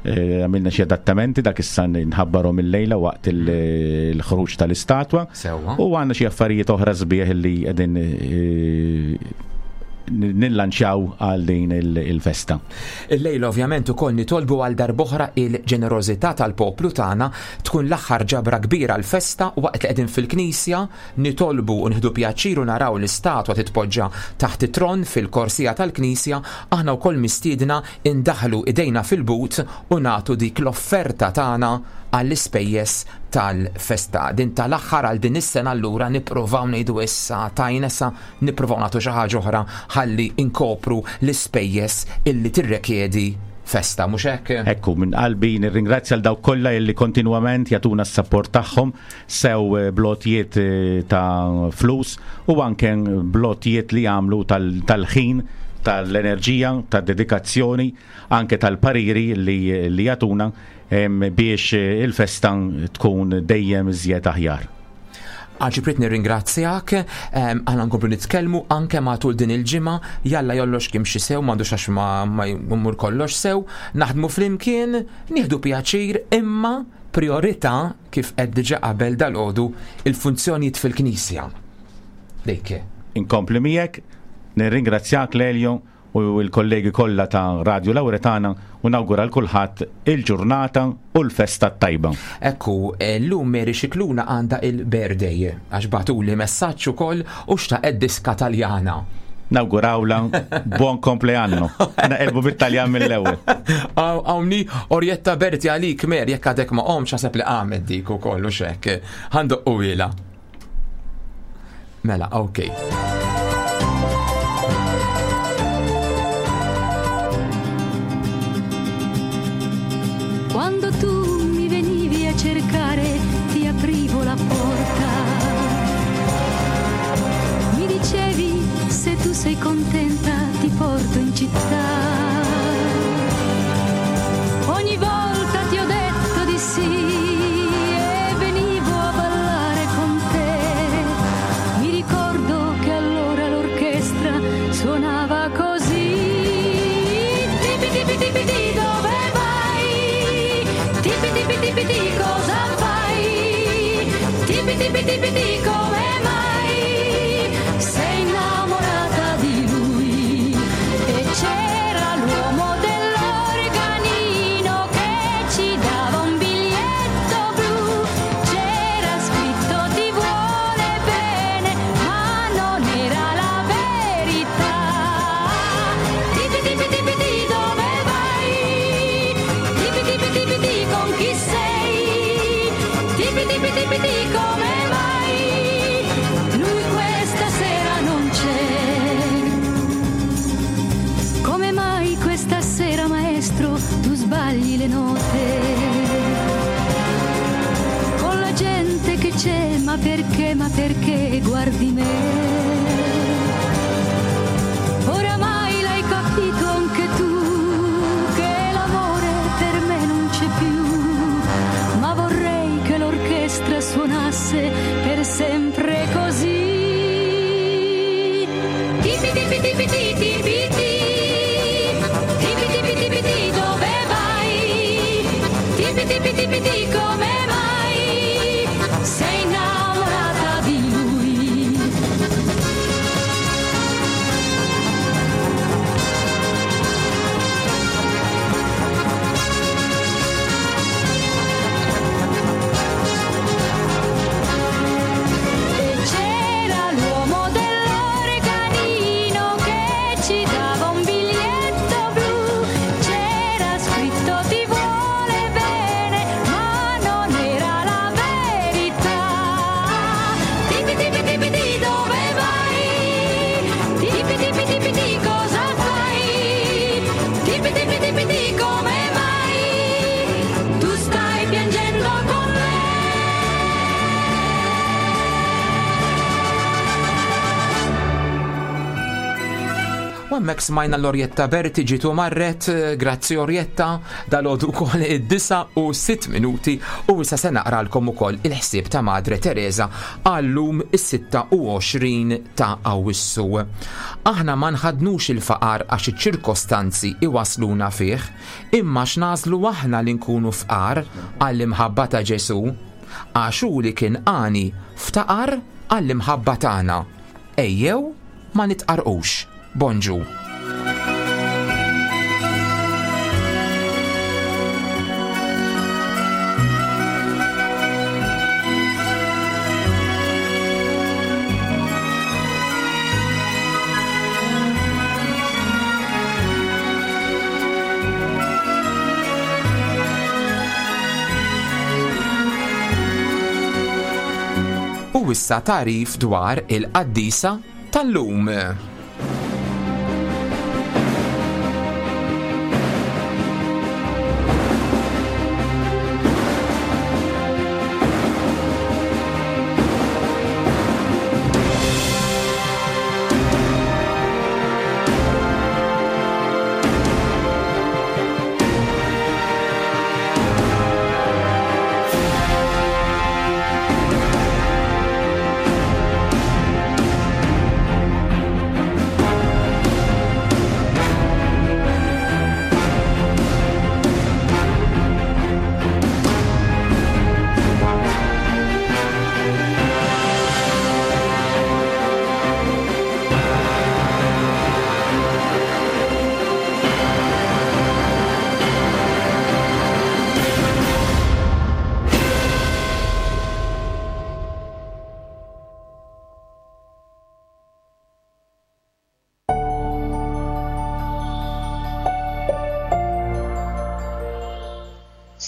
Eh, għamilna xi adattamenti dak issa nħabbarhom il-lejla waqt il-ħruġ tal-istatwa. U għandna xi affarijiet oħra sbieħ li qegħdin eh, nillanċjaw għal din il-festa. Il-lejla ovvjament ukoll nitolbu għal darb'oħra il-ġenerożità tal-poplu tagħna, tkun l-aħħar ġabra kbira l-festa waqt li qegħdin fil-knisja nitolbu u nieħdu pjaċir u naraw l-istatwa titpoġġa taħt it-tron fil-korsija tal-knisja, aħna wkoll mistiedna indaħlu idejna fil-but u nagħtu dik l-offerta tagħna għall-ispejjeż tal-festa. Din tal-aħħar għal din is-sena allura nippruvaw ngħidu issa tajna issa nippruvaw nagħtu xi ħaġa oħra ħalli inkopru l-ispejjeż illi tirrekjedi festa, mhux hekk? Ekku, minn qalbi nirringrazzja l dawk kollha illi kontinwament jagħtuna s-sapport tagħhom sew blotjiet ta' flus u anke blotjiet li jagħmlu tal-ħin, tal-enerġija, tad-dedikazzjoni, anke tal-pariri li, li jagħtuna biex il-festa tkun dejjem iżjed aħjar. Arċipriet nirringrazzjak, aħna nkomplu nitkellmu anke matul din il-ġimgħa, jalla jollox kim xi sew, m'għandux għax ma jmur kollox sew, naħdmu flimkien, nieħdu pjaċir, imma priorità kif qed diġà qabel dal-għodu il-funzjonijiet fil-Knisja. Dejke. Inkompli miegħek, nirringrazzjak Lelio u l-kollegi kollha ta' Radio Lauretana u nawgura l kulħadd il-ġurnata u l-festa tajba. Ekku, llum Mary Scicluna għandha il-birthday, għax bagħtuli messaġġ ukoll u xtaqet diska Taljana. Nawgurawla buon compleanno. Naqelbu bit-Taljan mill-ewwel. Hawnni Orietta Berti għalik Mary, jekk għadek ma qomx ħaseb li qamet dik ukoll u x'hekk. Ħandoqqu ilha. Mela, okay. Quando tu mi venivi a cercare, ti aprivo la porta. Mi dicevi, se tu sei contenta, ti porto in città. Ogni volta ti ho detto di sì e venivo a ballare con te. Mi ricordo che allora l'orchestra suonava così. Tipi tipi tipi ti, dove vai? Tipi tipi tipi ti, cosa fai? Tipi tipi tipi ti, come mai? Sei innamorata di lui. E c'era l'uomo dell'organino che ci dava un biglietto blu. C'era scritto ti vuole bene, ma non era la verità. Tipi tipi tipi ti, dove vai? Tipi tipi tipi ti, con chi sei? Tipi tipi tipi ti, come mai? Lui questa sera non c'è. Come mai questa sera, maestro, tu sbagli le note? Con la gente che c'è, ma perché, ma perché guardi me? Oramai l'hai capito anche tu che l'amore per me non c'è più, ma vorrei che l'orchestra suonasse per sempre così. Tipi tipi tipi ti tipi ti, tipi tipi tipi ti, dove vai? Tipi tipi tipi ti, come mai? Sei innamorata di lui. Hemmhekk smajna l-Orjetta Berti ġitu marret, grazzi Orjetta, dal-għodu kol id-disa u sitt minuti u issa se naqralkom ukoll il-ħsieb ta' Madre Teresa għallum is-sitta u għoxrin ta' Awwissu. Aħna ma nħadnux il-faqar għax iċ-ċirkostanzi iwasluna fih, imma x'nażlu aħna li nkunu fqar għall-imħabba ta' Ġesu, għax hu li kien għani ftaqar għall-imħabba tagħna. Ejjew ma nitqarqux. Bonġu. U issa tarif dwar il-qaddisa tal-lum.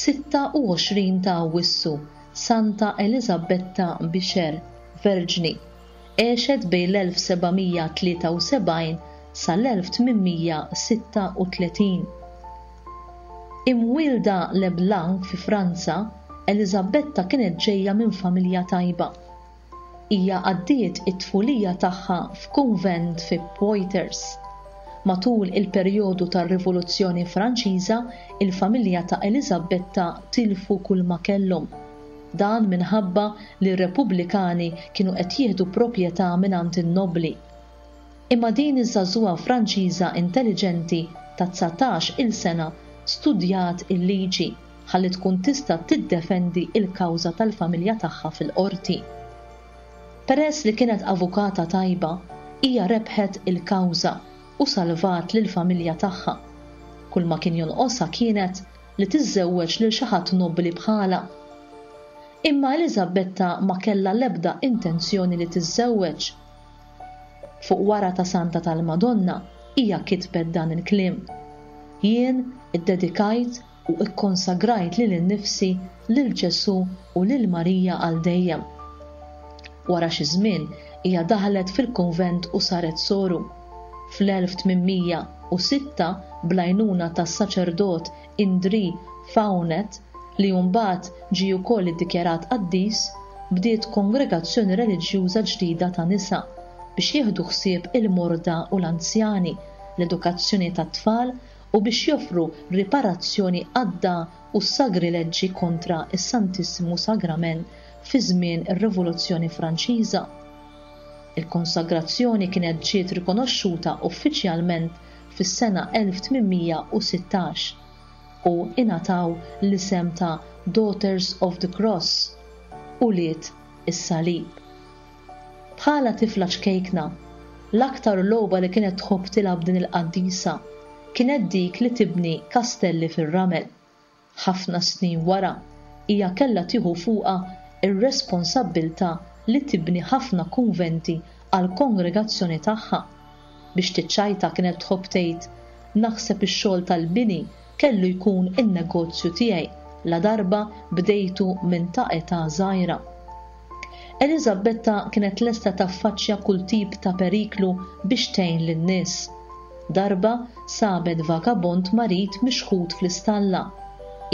sitta u għoxrin ta' Awwissu, Santa Elisabetta Bixer, Verġni, għexet bejn l-elf sebgħamija tlieta u sebgħin sal-elf tmienmija sitta u tletin. Imwielda Leblanc fi Franza, Elisabetta kienet ġejja minn familja tajba. Hija għaddiet it-tfulija tagħha f'kunvent fi Poitiers. Matul il-perjodu tar-Rivoluzzjoni Franċiża, il-familja ta' Elisabetta tilfu kull ma kellhom. Dan minħabba li r-Repubblikani kienu qed jieħdu proprjetà mingħand in-nobli. Imma din iż-żagħżugħa Franċiża intelligenti ta' dsatax il sena studjat il-liġi ħalli tkun tista' tiddefendi il-kawża tal-familja tagħha fil-qorti. Peress li kienet avukata tajba, hija rebħet il-kawża u salvat lill-familja tagħha. Kull ma kien jonqosha kienet li tiżżewweġ lil xi ħadd nobbli bħalha. Imma Elisabetta ma kellha l-ebda intenzjoni li tiżżewweġ. Fuq wara ta' Santa tal-Madonna hija kitbet dan il-kliem: Jien iddedikajt u ikkonsagrajt lili nnifsi lil Ġesu u lil Marija għal dejjem. Wara xi żmien hija daħlet fil-kunvent u saret soru. Fl-elf tmienmija u sitta bl-għajnuna tas-saċerdot Indri Faunet, li mbagħad ġie wkoll iddikjarat qaddis, bdiet kongregazzjoni reliġjuża ġdida ta' nisa biex jieħdu ħsieb il-morda u l-anzjani, l-edukazzjoni tat-tfal u biex joffru riparazzjoni għadda u sagrileġġi kontra is-Santissimu Sagrament fi żmien ir-Rivoluzzjoni Franċiża. Il-konsagrazzjoni kienet ġiet rikonoxxuta uffiċjalment fis-sena elf tmienmija u sittax u ingħataw l-isem ta' Daughters of the Cross, ulied is-Salib. Bħala tifla ċkejkna, l-aktar logħba li kienet tħobb tilgħab din il-qaddisa kienet dik li tibni kastelli fir-ramel. Ħafna snin wara, hija kellha tieħu fuqha ir-responsabbiltà li tibni ħafna kunventi għal kongregazzjoni tagħha. Biex tiċċajta kienet tħobb tgħid, naħseb ix-xogħol tal-bini kellu jkun in-negozju tiegħi la darba bdejtu minn ta' età żgħira. Elisabetta kienet lesta taffaċċja kull tip ta' periklu biex tgħin lin-nies. Darba sabet vagabond marid mixħut fl-istalla.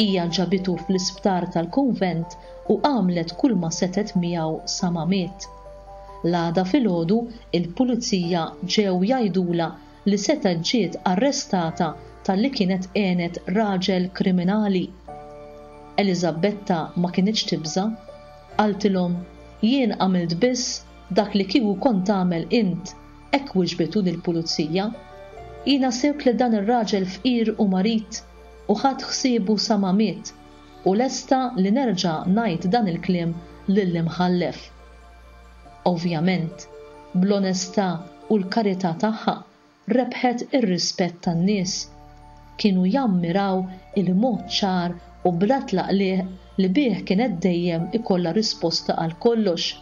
Hija ġabitu fl-isptar tal-kunvent u għamlet kull ma setet miegħu sa ma miet. L-għada filgħodu il-pulizija ġew jgħidula li setgħet ġiet arrestata talli kienet għenet raġel kriminali. Eliżabetta ma kinitx tibża'. Qaltilhom, jien għamilt biss dak li kieku kont tagħmel int, hekk wiġbitu lill-pulizija. Jiena sibt li dan ir-raġel fqir u marid u ħadt ħsiebu sa ma miet u lesta li nerġa' ngħid dan il-kliem lill-imħallef. Ovvjament, bl-onestà u l-karità tagħha rebħet ir-rispett tan-nies. Kienu jammiraw il-mod ċar u bla tlaqliq li bih kienet dejjem ikollha risposta għal kollox.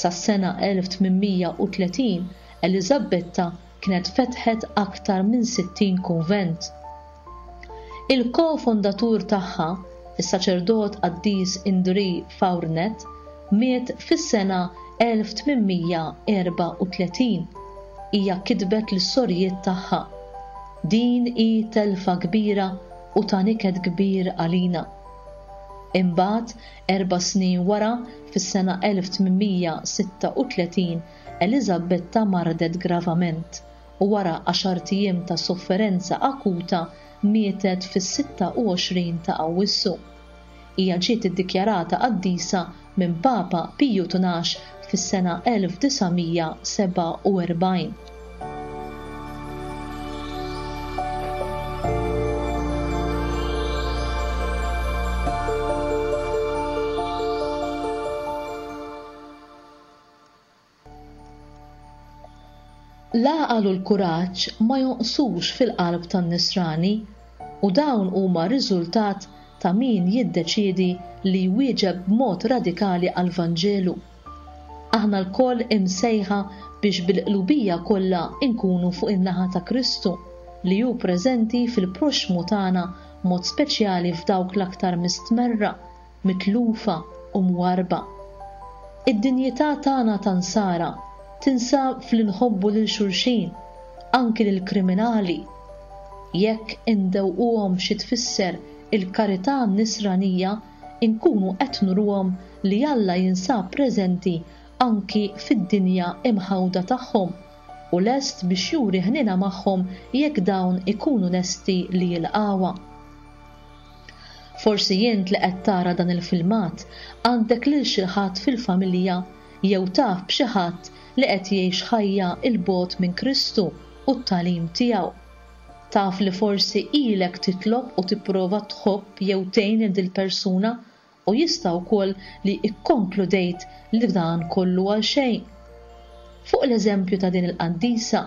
Sas-sena elf tmien mija u tletin, Eliżabetta kienet fetħet aktar minn sittin kunvent. Il-kofondatur tagħha, is-saċerdot qaddis Indri Fournet, miet fis-sena elf tmien mija erba' u tletin. Hija kitbet lis-sorijiet tagħha: Din hi telfa kbira u ta' niket kbir għalina. Imbagħad, erba' snin wara, fis-sena elf tmien mija sitta u tletin, Eliżabetta mardet gravament u wara għaxart ijiem ta' sofferenza akuta mietet fis-sitta u għoxrin ta' Awwissu. Hija ġiet iddikjarata qaddisa minn Papa Piju tnax fis-sena elf disa' mija seba' u erbgħin. L-għaqal u l-kuraġġ ma jonqsux fil-qalb tan-nisrani u dawn huma riżultat ta' min jiddeċiedi li jwieġeb b'mod radikali għall-Vanġelu. Aħna lkoll imsejħa biex bil-qlubija kollha nkunu fuq in-naħa ta' Kristu li hu preżenti fil-proxxmu tagħna mod speċjali f'dawk l-aktar mistmerra, mitlufa u mwarba. Id-dinjità tagħna ta' nsara tinsab fl-inħobbu lil xulxin, anki lil kriminali. Jekk indewquhom xi tfisser il-karità nisranija, inkunu qed nuruhom li Alla jinsab preżenti anki fid-dinja imħawda tagħhom u lest biex juri ħnina magħhom jekk dawn ikunu lesti li jilqawha. Forsi int li qed tara dan il-filmat għandek lil xi ħadd fil-familja jew taf b'xi ħadd li qed jgħix ħajja 'l bogħod minn Kristu u t-tagħlim tiegħu. Taf li forsi ilek titlob u tipprova tħobb jew tgħin lil dil-persuna u jista' wkoll li ikkonkludejt li dan kollu għal xejn. Fuq l-eżempju ta' din il-qaddisa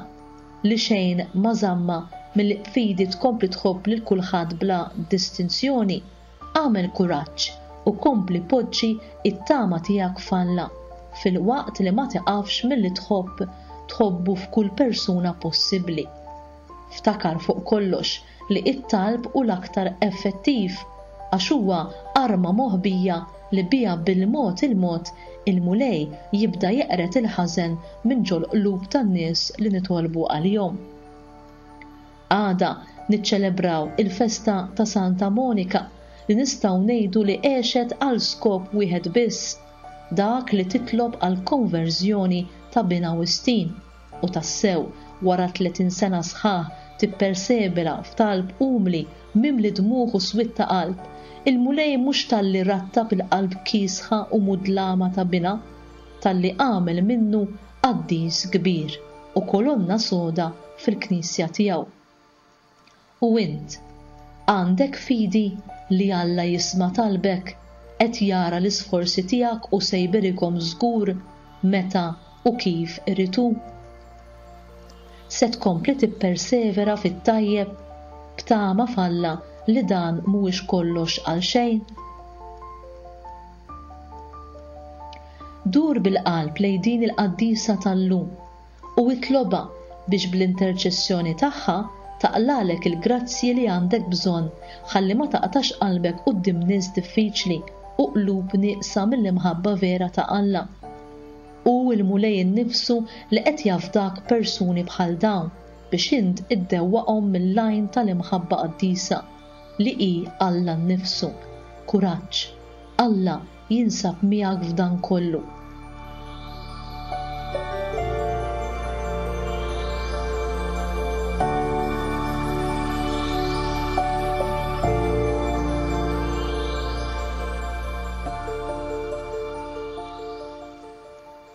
li xejn ma żamma milli b'fidi tkompli tħobb lil kulħadd bla distinzjoni, agħmel kuraġġ u kompli poġġi it-tama tiegħek f'Alla fil-waqt li ma tiqafx milli tħobb tħobbu f'kull persuna possibbli. Ftakar fuq kollox li it-talb hu l-aktar effettiv għax huwa arma moħbija li biha bil-mod il-mod il-Mulej jibda jeqret il-ħażen minn ġol-qlub tan-nies li nitolbu għalihom. Għada niċċelebraw il-festa ta' Santa Monika li nistgħu ngħidu li għexet għal skop wieħed biss, dak li titlob għal konverżjoni ta' binha Wistin, u tassew wara tletin sena sħaħ tippersevera f'talb umli mimli dmugħ u swied ta' qalb, il-Mulej mhux talli rattab il-qalb kiesħa u mudlama ta' binha, talli għamel minnu qaddis kbir u kolonna soda fil-knisja tiegħu. U int, għandek fidi li Alla jisma' talbek, qed jara l-isforzi tiegħek u se jberikhom żgur meta u kif irid hu. Se tkompli tippersevera fit-tajjeb b'tama f'Alla li dan mhuwiex kollox għal xejn. Dur bil-qalb lejn din il-qaddisa tal-lum u itlobha biex bl-interċessjoni tagħha taqlalek il-grazzji li għandek bżonn ħalli ma taqtax qalbek quddiem nies diffiċli u qlub nieqsa mill-imħabba vera ta' Alla. U l-Mulej innifsu li qed jafdak persuni bħal dawn biex int iddewwaqhom mill-għajn tal-imħabba qaddisa li hi Alla nnifsu. Kuraġġ, Alla jinsab miegħek f'dan kollu.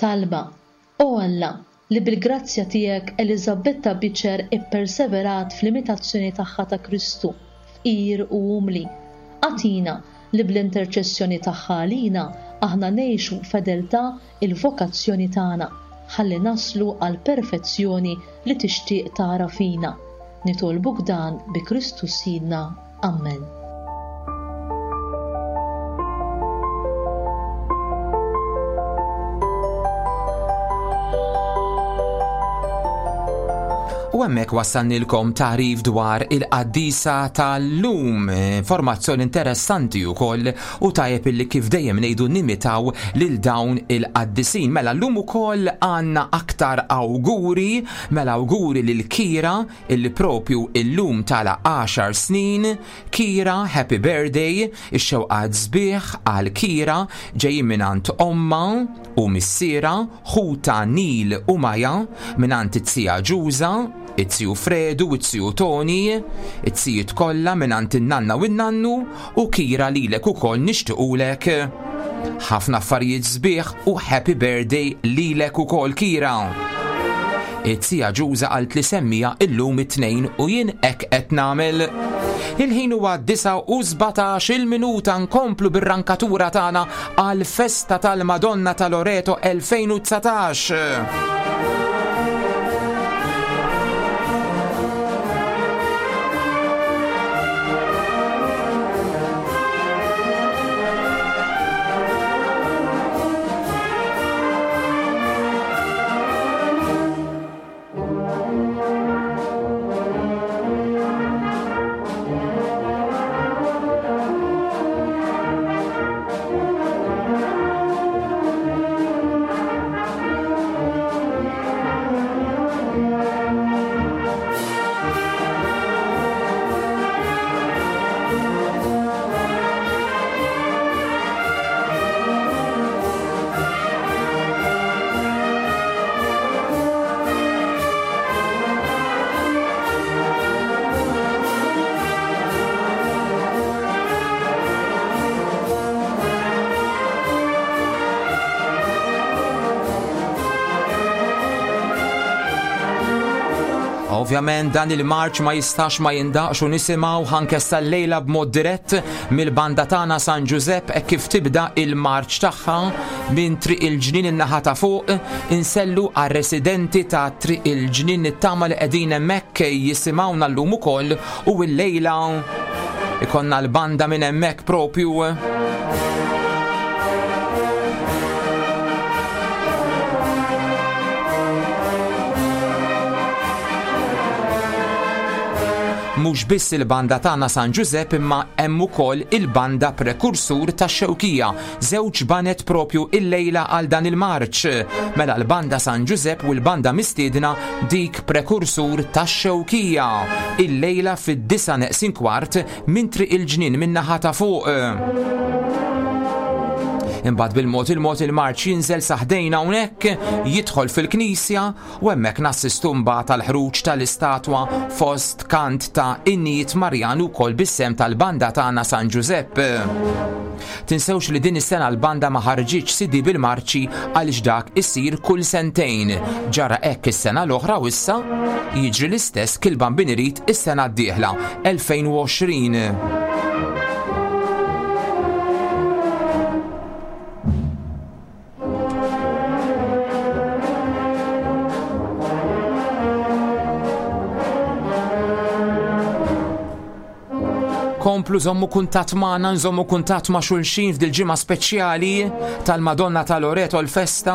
Talba: O Alla, li bil-grazzja tiegħek Eliżabetta Biċer ipperseverat fl-imitazzjoni tagħha ta' Kristu, fqir u umli, agħtina li bl-interċessjoni tagħha għalina aħna ngħixu fedeltà il-vokazzjoni tagħna, ħalli naslu għal perfezzjoni li tixtieq tara fina. Nitolbuk dan bi Kristu Sidna. Amen. U hemmhekk wassalnilkom tagħrif dwar il-qaddisa tal-lum, informazzjoni interessanti wkoll u tajjeb illi kif dejjem ngħidu nimitaw lil dawn il-qaddisin. Mela llum ukoll għandna aktar awguri, mela awguri lil Kira illi propju illum tala għaxar snin. Kira, happy birthday, ix-xewqat sbieħ għal Kira ġejjin mingħand omma u missiera, ħuta Nil u Maja, mingħand it-tija Ġuża, it-tiju Fredu, it-tiju Toni, it-tijiet kollha mingħand in-nanna u n-nannu, u Kira lilek ukoll nixtiequlek ħafna affarijiet sbieħ u happy birthday lilek ukoll Kira. It-tija Ġuża qalt li semmija illum it-tnejn u jien hekk qed nagħmel. Il-ħin huwa disgħa u sbatax il-minuta, nkomplu bir-rankatura tagħna għal festa tal-Madonna ta' Loreto elfejn u dsatax. Ovvjament dan il-marċ ma jistax ma jindaqx u nisimgħu anke sal-lejla b'mod dirett mill-banda tagħna San Ġużepp hekk kif tibda il-marċ tagħha minn Triq il-Ġnien in-naħa ta' fuq, insellu għar-residenti ta' Triq il-Ġnien nittama li qegħdin hemmhekk jisimgħuna llum ukoll u l-lejla ikonna l-banda minn hemmhekk propju. Mhux biss il-banda tagħna San Ġużepp imma hemm ukoll il-banda prekursur tax-Xewkija, żewġ banet propju il-lejla għal dan il-marċ. Mela l-banda San Ġużepp u l-banda mistiedna dik prekursur tax-Xewkija. Il-lejla fid-disa neqsin kwart minn Triq il-Ġnien min-naħa ta' fuq. Imbagħad bil-mod il-mod il-marċ jinżel saħdejna hawnhekk, jidħol fil-knisja u hemmhekk nassistu mbagħad għall-ħruġ tal-istatwa fost kant ta' innijiet Marjan ukoll bis-sem tal-banda tagħna San Ġużepp. Tinsewx li din is-sena l-banda ma ħarġitx C D bil-marċi għaliex dak isir kull sentejn. Ġara hekk is-sena l-oħra u issa jiġri l-istess kil Bambin irid is-sena d-dieħla elfejn u għoxrin. Komplu żommu kuntatt magħna, nżommu kuntatt ma' xulxin f'dil ġimgħa speċjali tal-Madonna ta' Loreto l-festa.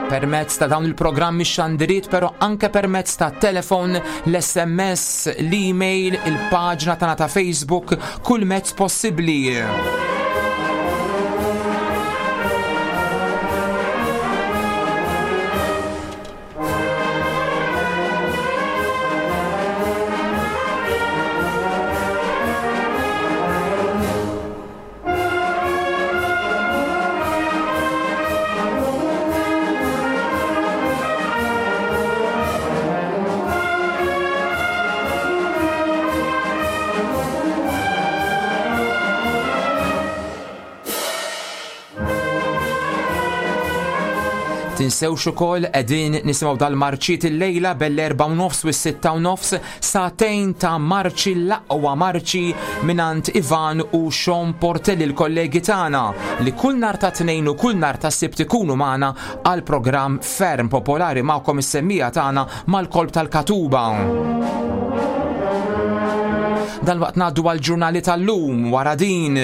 Permezz ta' dawn il-programmi xandiriet, però anke permezz ta' telefon, l-S M S, l-email, il-paġna tagħna ta' Facebook, kull mezz possibbli. Tinsewx ukoll qegħdin nisimgħu dal-marċiet illejla bel-erba' u nofs u s-sitta u nofs, sagħtejn ta' marċi, l-aqwa marċi mingħand Ivan u Sean Portelli, l-kollegi tagħna li kull nhar ta' Tnejn u kull nhar ta' Sibt ikunu magħna għal programm ferm popolari magħkom is-semmija tagħna mal-kolb tal-Katuba. Dalwaqt ngħaddu għal-ġurnali tal-lum wara din.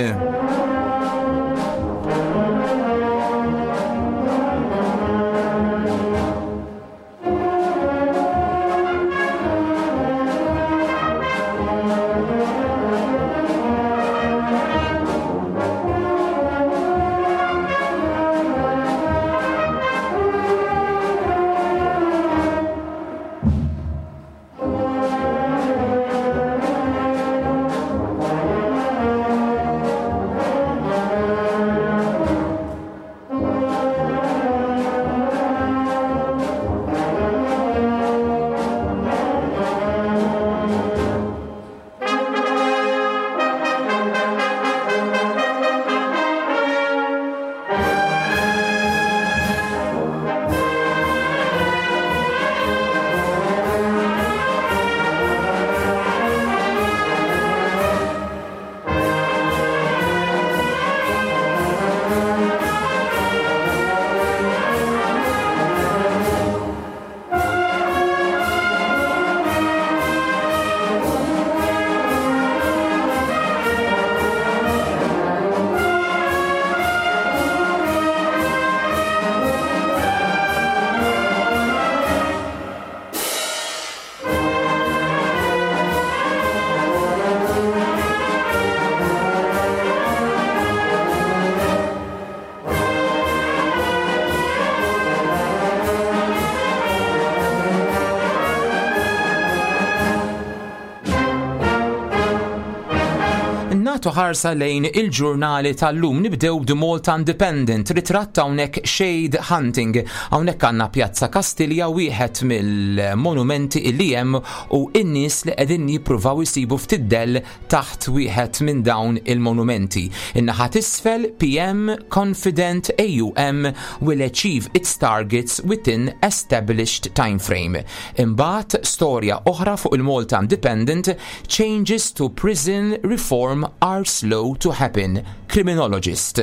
Nagħtu ħarsa lejn il-ġurnali tal-lum. Nibdew The Malta Independent, ritratt hawnhekk Shade Hunting. Hawnhekk għandna Pjazza Kastilja, wieħed mill-monumenti illi hemm, u n-nies li qegħdin jippruvaw jsibu ftit dell taħt wieħed minn dawn il-monumenti. In-naħa t'isfel, P M confident A U M will achieve its targets within established timeframe. Imbagħad storja oħra fuq il-Malta Independent, changes to prison reform are slow to happen, criminologist.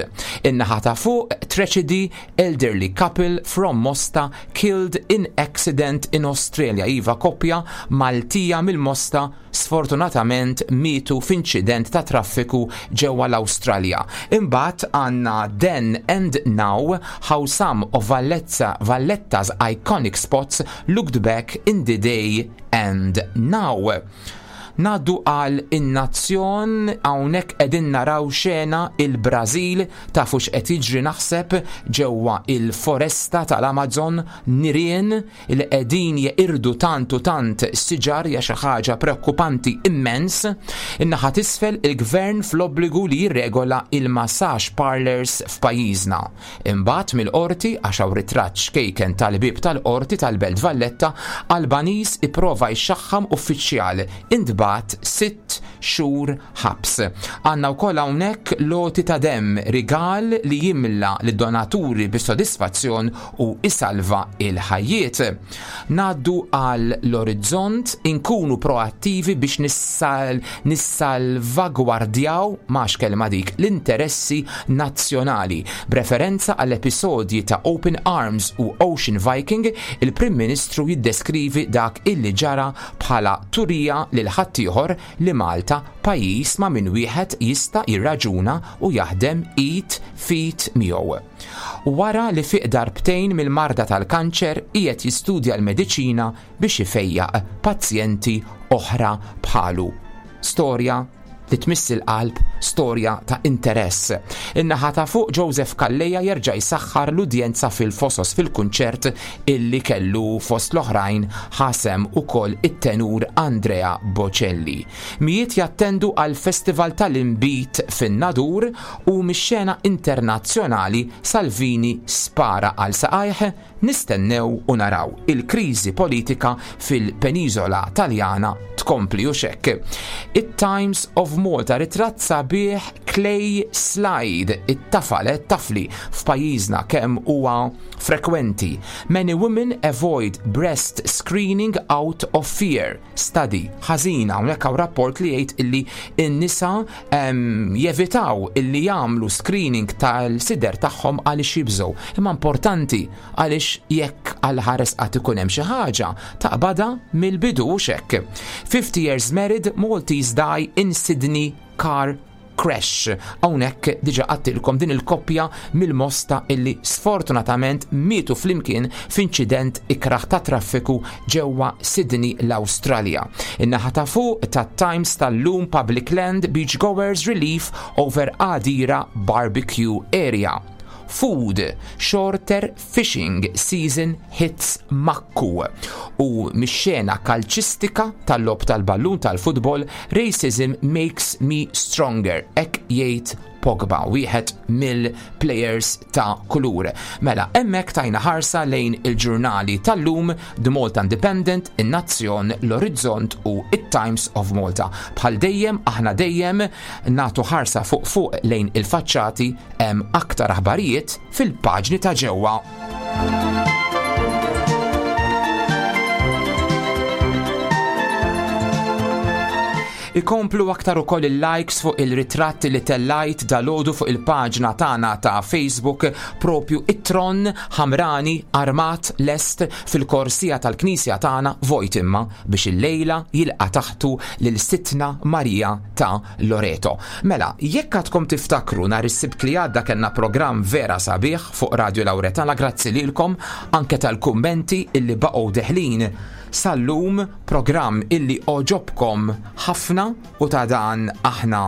In-naħa ta' fuq, tragedy, elderly couple from Mosta killed in accident in Australia. Iva, koppja Maltija mill-Mosta sfortunatament mietu f'inċident ta' traffiku ġewwa l-Awstralja. Imbagħad għandna Then and Now, how some of Valletta, Valletta's iconic spots looked back in the day and now. Ngħaddu għal In-Nazzjon, hawnhekk qegħdin naraw xena il-Brażil, tafu x'qed jiġri naħseb ġewwa il-foresta tal-Amazon, nirien li qegħdin jeqirdu tant u tant siġar, hija xi ħaġa preokkupanti immens. In-naħa t'isfel, il-gvern fl-obbligu li jirregola il-massage parlors f'pajjiżna. Imbagħad mill-qorti, għax hawn ritratt xkejken tal-bib tal-qorti tal-Belt Valletta, Albaniż ipprova jxaħħam uffiċjal, intbagħat sitt xhur ħabs. Għandna wkoll hawnhekk loti ta' dem, rigal li jimla lid-donaturi bis-sodisfazzjon u isalva il-ħajjiet. Ngħaddu għal l-Orizzont, inkunu proattivi biex nissal nissalvagwardjaw, max kelma dik, l-interessi nazzjonali. B'referenza għall-episodji ta' Open Arms u Ocean Viking, il-Prim Ministru jiddeskrivi dak illi ġara bħala turija lil ħaddieħor li Malta pajjiż ma' min wieħed jista' jirraġuna u jaħdem id f'id miegħu. Wara li fiq darbtejn mill-marda tal-kanċer, qiegħed jistudja l-mediċina biex ifejjaq pazjenti oħra bħalu. Storja li tmiss il-qalb, storja ta' interess. In-naħa ta' fuq, Joseph Calleja jerġa' jsaħħar l-udjenza fil-Fosos fil-kunċert illi kellu, fost l-oħrajn ħasem ukoll it-tenur Andrea Bocelli. Mijiet jattendu għal festival tal-imbit fin-Nadur, u mix-xena internazzjonali, Salvini spara għal saqajh, nistennew u naraw. Il-kriżi politika fil-peniżola Taljana tkompli u xekk. It-Times of Malta, ritratt sabiħ. sabiħ clay slide, it-tafal, it-tafli f'pajjiżna kemm huwa frekwenti. Many women avoid breast screening out of fear. Study ħażina hawnhekk hawn rapport li jgħid illi n-nisa em, jevitaw illi jagħmlu screening tal-sider tagħhom għaliex jibżgħu. Imma importanti għaliex jekk għal ħares qatt ikun hemm xi ħaġa taqbada mill-bidu u xekk. fifty years married, Maltese die in Sydney car crash. Hawnhekk diġà għattilkom din il-koppja mill-Mosta illi sfortunatament mietu flimkien f'inċident ikraħ ta' traffiku ġewwa Sydney l-Awstralja. In-naħa ta' fuq ta' Times tal-lum Public Land Beachgoers Relief over Għadira Barbecue Area. Food, shorter fishing season hits Makku. U mix-xena kalċistika tal-lob tal-ballun tal-futbol, racism makes me stronger, hekk jgħid Pogba, wieħed mill-players ta' kulur. Mela, hemmhekk tajna ħarsa lejn il-ġurnali tal-lum, The Malta Independent, In-Nazzjon, l-Orizzont u it-Times of Malta. Bħal dejjem, aħna dejjem natu ħarsa fuq fuq lejn il-faċċati, hemm aktar aħbarijiet fil-paġni ta' ġewwa. Ikomplu aktar ukoll il-likes fuq il-ritratti li tellajt dalodu fuq il-paġna tagħna ta' Facebook, propju it-tron ħamrani armat lest fil-korsija tal-knisja tagħna vojt imma biex il-lejla jilqa' taħtu lil Sitna Marija ta' Loreto. Mela, jekk għadkom tiftakru nhar is-Sibt li għadda kellna programm vera sabiħ fuq Radio Lauretana, grazzi lilkom anke tal-kummenti illi baqgħu deħlin sal-lum, programm illi oġobkom ħafna u ta' dan aħna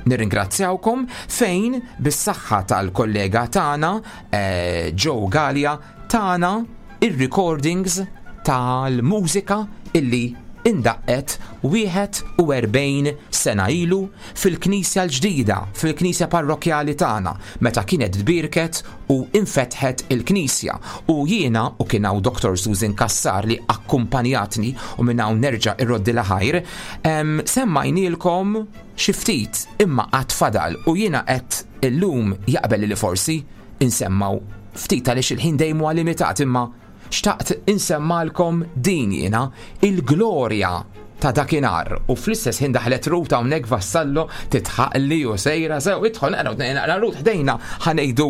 nirringrazzjawkom, fejn bis-saħħa tal-kollega tagħna eh, Joe Gallia tagħna ir-recordings tal-mużika illi indaqqet wieħed u erbgħin sena ilu fil-knisja l-ġdida, fil-knisja parrokjali tagħna, meta kienet tbierket u infetħet il-knisja. U jiena, u kien hawn Doktor Susan Kassar li akkumpanjatni u minn hawn nerġa' irroddi ħajr, em, semmajnielkom xi ftit imma qatt fadal u jiena qed illum jaqbel li forsi insemmaw ftit għaliex il-ħin dejjem huwa limitat, imma xtaqt insemmalkom din jiena il-glorja ta' dakinhar. U fl-istess ħin daħlet Ruth hawnhekk Vassallo titħaqli u sejra sew idħol naqra naqra Ruth ħdejna ħanejdu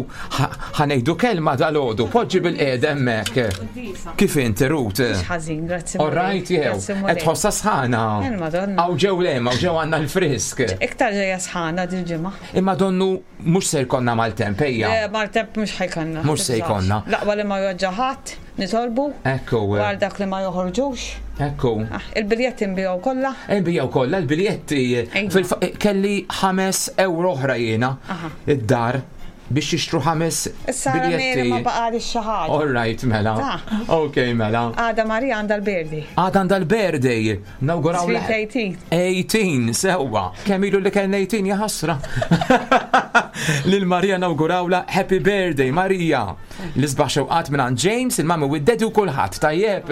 ħanejdu kelma dalodu, poġġi bil-qiegħed hemmhekk. Kif inti Ruth? Mhux ħażin, grazzi. All right, jew. Qed tħossha sħana. Il-Madonna. Hawn ġew lem, hawn ġew għandna l-frisk. Iktar ġejja sħana dil-ġimgħa. Imma donnu mhux se jkollna maltemp, ejja. Le, maltemp mhux ħajkonna. Mhux se jkollna. Laqwa li ma joġġa ħadd, nitolbu. Ekku. Għal dak li ma joħorġux. Ekku. Ah, il-biljetti nbijaw kollha. Nbijaw kollha l-biljetti. Fil-fa-, kelli ħames euro oħra jiena id-dar biex jixtru ħames Issa biljetti. ma baqali xi ħaġa. All right, mela. Ok, mela. Għada Marija għandha l-birthday. Għada għandha l-birthday. Nawguraw Sweet eighteen. eighteen, sewwa. Kemm ilu li kellna eighteen, ja ħasra. Lil Marija nawgurawla happy birthday, Marija. L-isbaħ xewqat minn għand James, il-mami u d-daddy u kulħadd, tajjeb.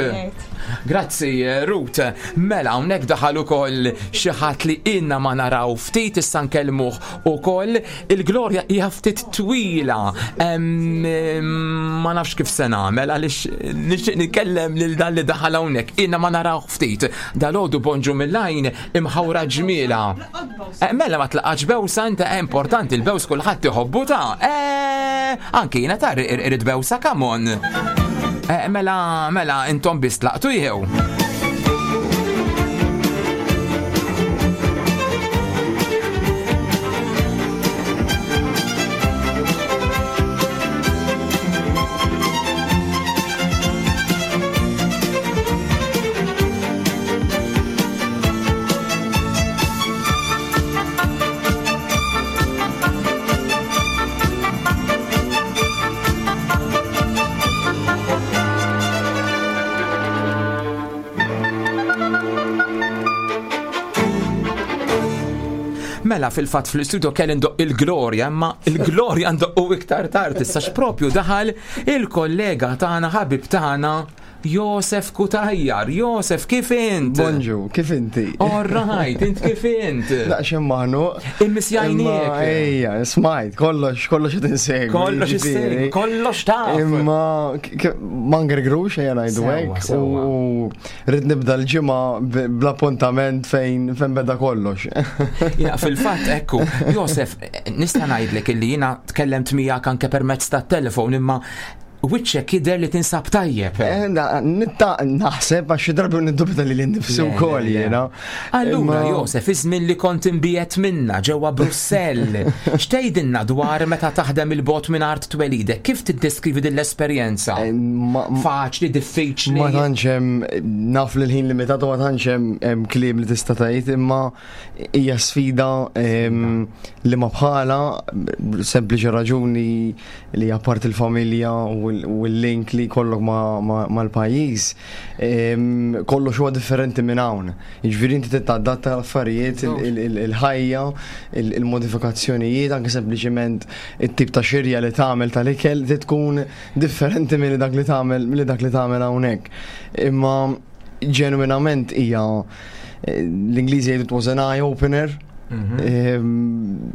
Grazzi, Ruth. Mela, hawnhekk daħal ukoll xi ħadd li inna ma naraw ftit, issa nkellmuh ukoll. Il-glorja hija ftit twila. Em, ma nafx kif se nagħmel għaliex nixtieq nitkellem lil dan li daħal hawnhekk. Inna ma naraw ftit. Dalgħodu bonġu mill-għajn imħawra ġmiela. Eh, mela ma tlaqax bewsa, inta importanti il-bews kulħadd iħobbu ta'. Eh, anki jiena ta' irrid bewsa, come on. Eh, mela, mela intom biss tlaqtu jew. Mela fil-fatt fl-istudio kelli ndoq il-glorja, imma il-glorja ndoqqu iktar tard, issa x'propju daħal il-kollega tagħna, ħabib tagħna, Josef Cutajar. Josef, kif int? Bonġu, kif inti? All right, int kif int? Daqsxejn maħnuq. Immissjajniek. Ejja, smajt, kollox, kollox qed insegwi. Kollox jiġifieri. issegwi, kollox taf. Imma k- ma ngergrux ejja ngħidu Sewwa, hekk sewwa. u rrid nibda l-ġimgħa b- bl-appuntament fejn fejn beda kollox. Ja, fil-fatt, ekku, Josef, nista' ngħidlek illi jiena tkellemt miegħek anke permezz tat-telefon imma wiċċek jidher li tinsab tajjeb. Eh, na- Nitta naħseb għax xi drabi niddubita li nnifsi Le, le, wkoll le. jiena. Allura, Imma- Josef, iż-żmien li kont imbiegħed minna ġewwa Brussell, x'tgħidilna dwar meta taħdem il-bogħod minn art twelidek? Kif tiddeskrivi din l-esperjenza? Eh, ma- Faċli, diffiċli? Ma tantx hemm naf li l-ħin limitat u ma tantx hemm hemm kliem li tista' tgħid, imma hija sfida em, li ma bħala sempliċi raġuni li apart il-familja u l- u l-link li jkollok ma- ma- mal-pajjiż em, kollox huwa differenti minn hawn. Jiġifieri inti titadatta l-affarijiet, il- il- il- il-ħajja, il- il-modifikazzjonijiet, anke sempliċiment it-tip ta' xirja li tagħmel tal-ikel trid tkun differenti minn dak li tagħmel milli dak li tagħmel hawnhekk. Imma ġenwinament hija eh, l-Ingliżi jgħidu it was an eye opener. Mhm. Ehm,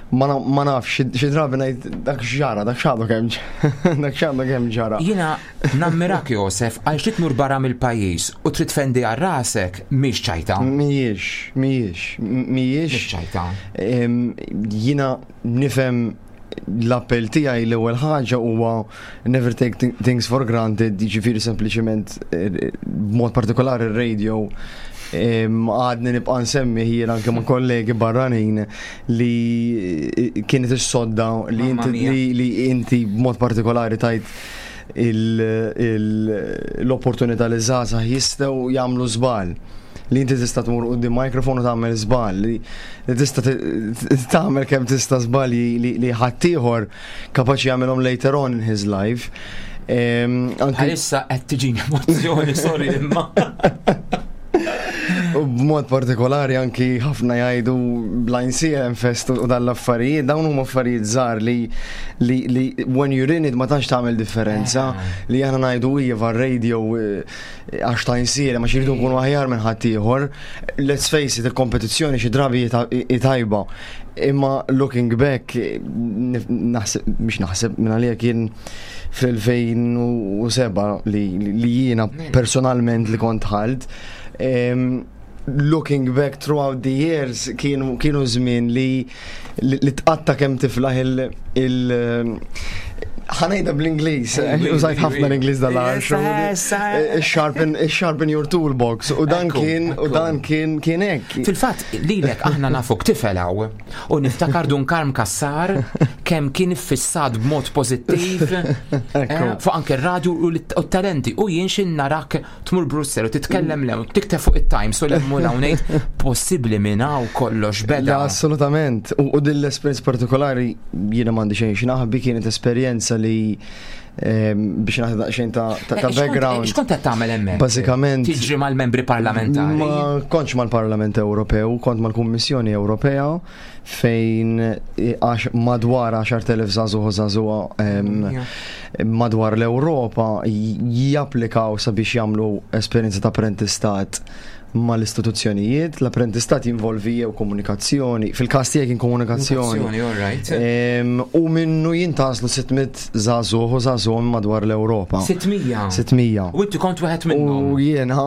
Ma na- ma nafx, xi- xi drabi ngħid dak x'ġara, dak x'għadu kemm ġ- dak x'għadu kemm ġara. Jiena nammirak Josef għal xi tmur barra mill-pajjiż u trid tfendi għal rasek mhix ċajta. Mhijiex, mhijiex, mhijiex. Mhix ċajta. Em, Jiena nifhem l-appell tiegħi l-ewwel ħaġa huwa never take thi- things for granted, jiġifieri sempliċement eh, b'mod partikolari ir-radio em, għadni nibqa' nsemmi jien anke ma' kollegi barranin li eh, kienet is-sodda li Mamma inti mia. li, li inti b'mod partikolari tajt il- il- l-opportunità li żgħażagħ jistgħu jagħmlu żball li inti tista' tmur quddiem mikrofon u tagħmel żball li li tista' t- tagħmel kemm tista' żbalji li li ħaddieħor kapaċi jagħmelhom later on in his life. Em, anki- Bħalissa qed tiġini emozzjoni, sorry imma. U b'mod partikolari anki ħafna jgħidu blind C M Fest u dal-affarijiet, dawn huma affarijiet żgħar li li li when you're in it ma tantx tagħmel differenza li aħna ngħidu iva radio eh, għax ta' insir ma xiridu nkunu aħjar minn ħaddieħor. Let's face it, il-kompetizzjoni xi drabi hi ta- hi tajba. Imma looking back, eh, nif- naħseb, mhix naħseb minn għalija kien fl-elfejn u sebgħa li, li jiena personalment li kont ħalt. Em, looking back throughout the years kienu, kienu żmien li li, li tqatta kemm tiflaħ il, il ħa ngħidha bl-Ingliż, użajt ħafna l-Ingliż dal-għar. Sharpen, sharpen your toolbox. U dan Ekku, kien, u ekku. dan kien, kien hekk. Fil-fatt, lilek aħna nafuk tifel hawn u niftakar Dun Karm Kassar kemm kien iffissat b'mod pożittiv eh, fuq anke r-radju u l- u t-talenti u jien xin narak tmur Brussel u titkellem lew, tikteb fuq it-Times u lemmu hawnhekk possibbli minn hawn kollox La, beda. assolutament. U, u din l-esperjenza partikolari jiena m'għandi xejn x'naħbi kienet esperjenza li em, biex naħdi daqsxejn ta' ta' ta' Eh, x'kont- background. X'kont qed tagħmel hemmhekk? Bażikament- Tiġri mal-membri parlamentari. Ma kontx mal-Parlament Ewropew, kont mal-Kummissjoni Ewropea fejn eh, għax madwar għaxart elef żagħżugħ u żagħżugħa em, madwar l-Ewropa j- japplikaw sabiex jagħmlu esperjenza ta' apprentistat mal-istituzzjonijiet. L-apprentistat jinvolvi jew komunikazzjoni, fil-każ tiegħi kien komunikazzjoni. Komunikazzjoni, all right. Em, U minnu jintgħażlu sitt mitt żagħżugħ u żagħżugħ madwar l-Ewropa. sitt mija. sitt mija. U inti kont wieħed minnhom. U jiena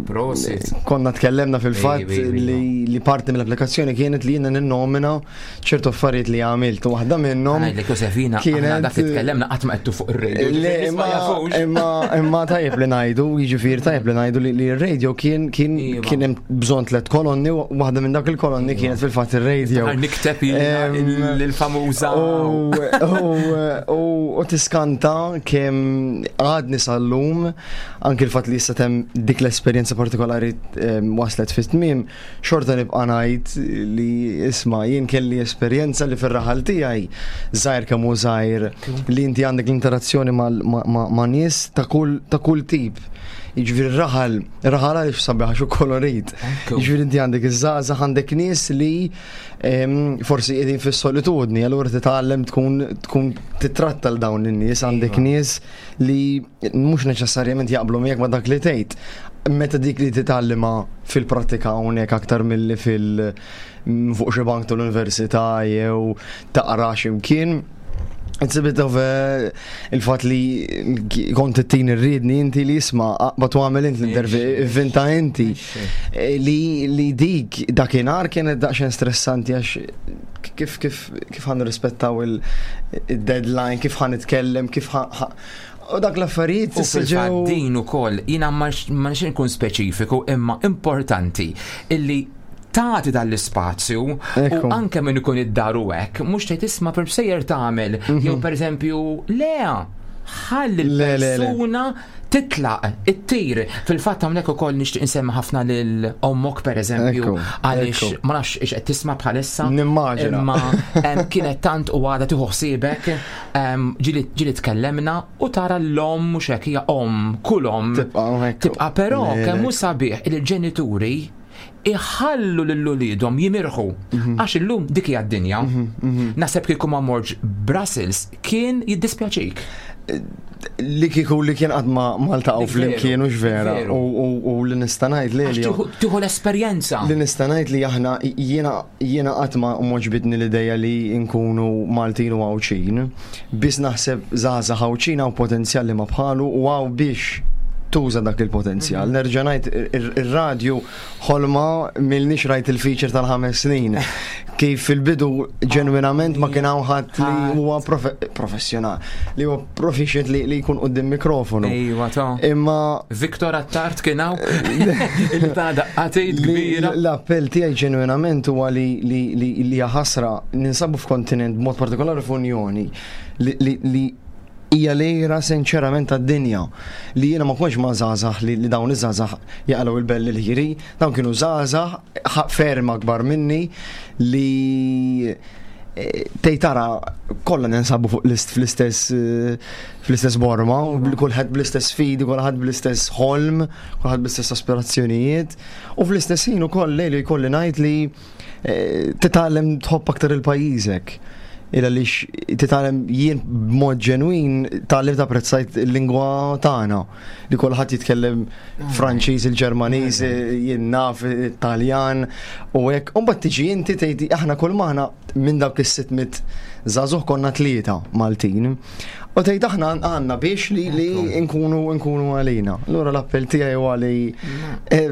Prosit. konna tkellemna fil-fatt Ej, ej, ej, li, li parti mill-applikazzjoni kienet li jiena ninnomina ċertu affarijiet li għamilt. U waħda minnhom Ngħidlek Josefina, aħna dak li tkellemna qatt ma qedtu fuq ir-radio. Le, ġifieri imma, ma jafux. imma, imma tajjeb li ngħidu, jiġifieri tajjeb li ngħidu li, li r-radio kien kien Iva. kien hemm bżonn tliet kolonni u waħda minn dak il-kolonni kienet fil-fatt ir-radio. Niftakar nikteb jiena Em, il- il-famuża. U u- u- u tiskanta kemm għadni sal-lum anki l-fatt li issa temm dik l-esperjenza partikolari em, waslet fit-tmiem, xorta nibqa' ngħid li isma' jien kelli esperjenza li fir-raħal tiegħi żgħir kemm hu żgħir li inti għandek l-interazzjoni mal- ma' ma- ma' nies ta' kull ta' kull tip. Jiġifieri r-raħal, raħal għaliex sabiħ għax hu kolorit. Jiġifieri inti għandek iż-żgħażagħ, għandek nies li em, forsi qegħdin fis-solitudni, allura titgħallem tkun tkun titratta l dawn in-nies, għandek nies li mhux neċessarjament jaqblu miegħek ma' dak li tgħid. Meta dik li titgħallima fil-prattika hawnhekk aktar milli fil fuq xi bank tal-università jew taqra x'imkien. It's a bit of a, il-fat li kont it-tin irridni inti li isma' aqbad u għamel inti l-intervju inti. Eh, Li, li dik dakinhar kienet daqsxejn stressanti għax kif kif kif ħa nirrispettaw il-deadline, kif ħa nitkellem, kif ħa u dak l-affarijiet U issa fil-fatt ġew din ukoll jiena ma ma nix nkun speċifiku imma importanti illi tagħti dal-ispazju u anke min ikun id-dar u hekk, mhux tgħid isma' per sejjer tagħmel jew pereżempju le ħalli Le, le, le. l-persuna titlaq, ittir. Fil-fatt hawnhekk ukoll nixtieq insemmi ħafna lil ommok pereżempju Ekku, għaliex ekku. ma nafx ix qed tisma' bħalissa. Nimmaġina. Imma em, kienet tant u għada tieħu ħsiebek, em, ġieli ġieli tkellemna u tara l-om mhux hekk hija om, kull om. Tibqa' hekk. Tibqa' però Le, le. kemm hu sabiħ il-ġenituri iħallu lil uliedhom jimirħu Mhm. għax illum dik hija d-dinja. Naħseb kieku ma morġ Brussels kien jiddispjaċik. Li kieku li kien qatt ma maltaqgħu Dik flimkien veru, u vera veru. u u- u li nista' ngħid li Għax tieħu- tieħu l-esperjenza. Li nista' ngħid li aħna jiena jiena qatt ma m'għoġbitni l-idea li nkunu Maltin u Għawdxin. Biss naħseb żgħażagħ Għawdxin hawn potenzjal li ma bħalu u hawn biex tuża dak il-potenzjal. Nerġa' ngħid ir- ir-radju ħolma milnix rajt il-feature tal-ħames snin. Kif fil-bidu ġenwinament ma kien hawn ħadd li huwa profe- professjonal, li huwa proficient li li jkun quddiem mikrofonu. Ejwa ta' Imma Viktor Attard kien hawn il ta' daqqatejt Li- kbira. L-appell tiegħi ġenwinament huwa li li li li hija ħasra ninsabu f'kontinent b'mod partikolari f'Unjoni li li li hija lejra sinċerament tad-dinja li jiena ma kontx ma' żgħażagħ li, li dawn iż-żgħażagħ jaqalgħu il-belli l-ħiri, dawn kienu żgħażagħ ħa- ferm akbar minni li eh, tgħid tara kollha ninsabu fuq l-ist fl-istess eh, fl-istess borma, u bl- kulħadd bl-istess sfidi, kulħadd bl-istess ħolm, kulħadd bl-istess aspirazzjonijiet, u fl-istess ħin ukoll lejli jkolli ngħid li eh, titgħallem tħobb aktar il-pajjiżek. Illa li titgħallem jien b'mod ġenwin tgħallimt apprezzajt il-lingwa tagħna li kulħadd jitkellem Franċiż, il-Ġermaniż, jien naf Taljan u hekk. U mbagħad tiġi inti tgħid aħna kull maħna minn dawk is-sitt mitt żagħżugħ konna tlieta Maltin. U tgħid aħna għandna biex li li nkunu nkunu għalina. Allura l-appell tiegħi huwa li eh,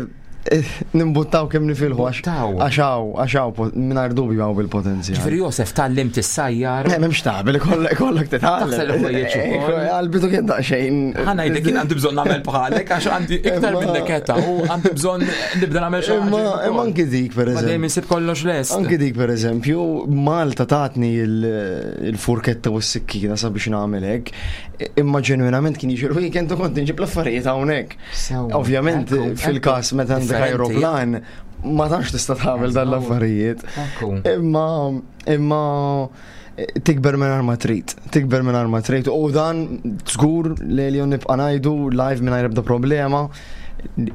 eh, nimbuttaw kemm nifilħu għax għax hawn għax hawn mingħajr dubju hawn bil-potenzjal. Ġifieri Josef tgħallimt issajjar. Eh, M'hemmx taqbel, ikollok ikollok titgħallem. Taħsel il-ħwejjeġ ukoll. Eh, Għal-bidu kien daqsxejn. Ħa ngħidlek jien għandi bżonn nagħmel bħalek għax għandi iktar Imma- minnek età u għandi bżonn nibda nagħmel xi Imma ħaġa. imma anki dik per Ma dejjem eżempju. insib kollox lest. Anki dik per eżempju, Malta tatni il- il-furketta u s-sikkina sabiex nagħmel hekk, imma ġenwinament kien jiġi l-weekend u kont nġib l-affarijiet hawnhekk. Ovvjament ekku, fil-każ meta għandek Differenti. aeroplan ma tantx tista' tagħmel dan l-affarijiet. Ekku. Imma imma eh, tikber minn ma trid, tikber minn ma trid u dan żgur li li nibqa' ngħidu live mingħajr ebda problema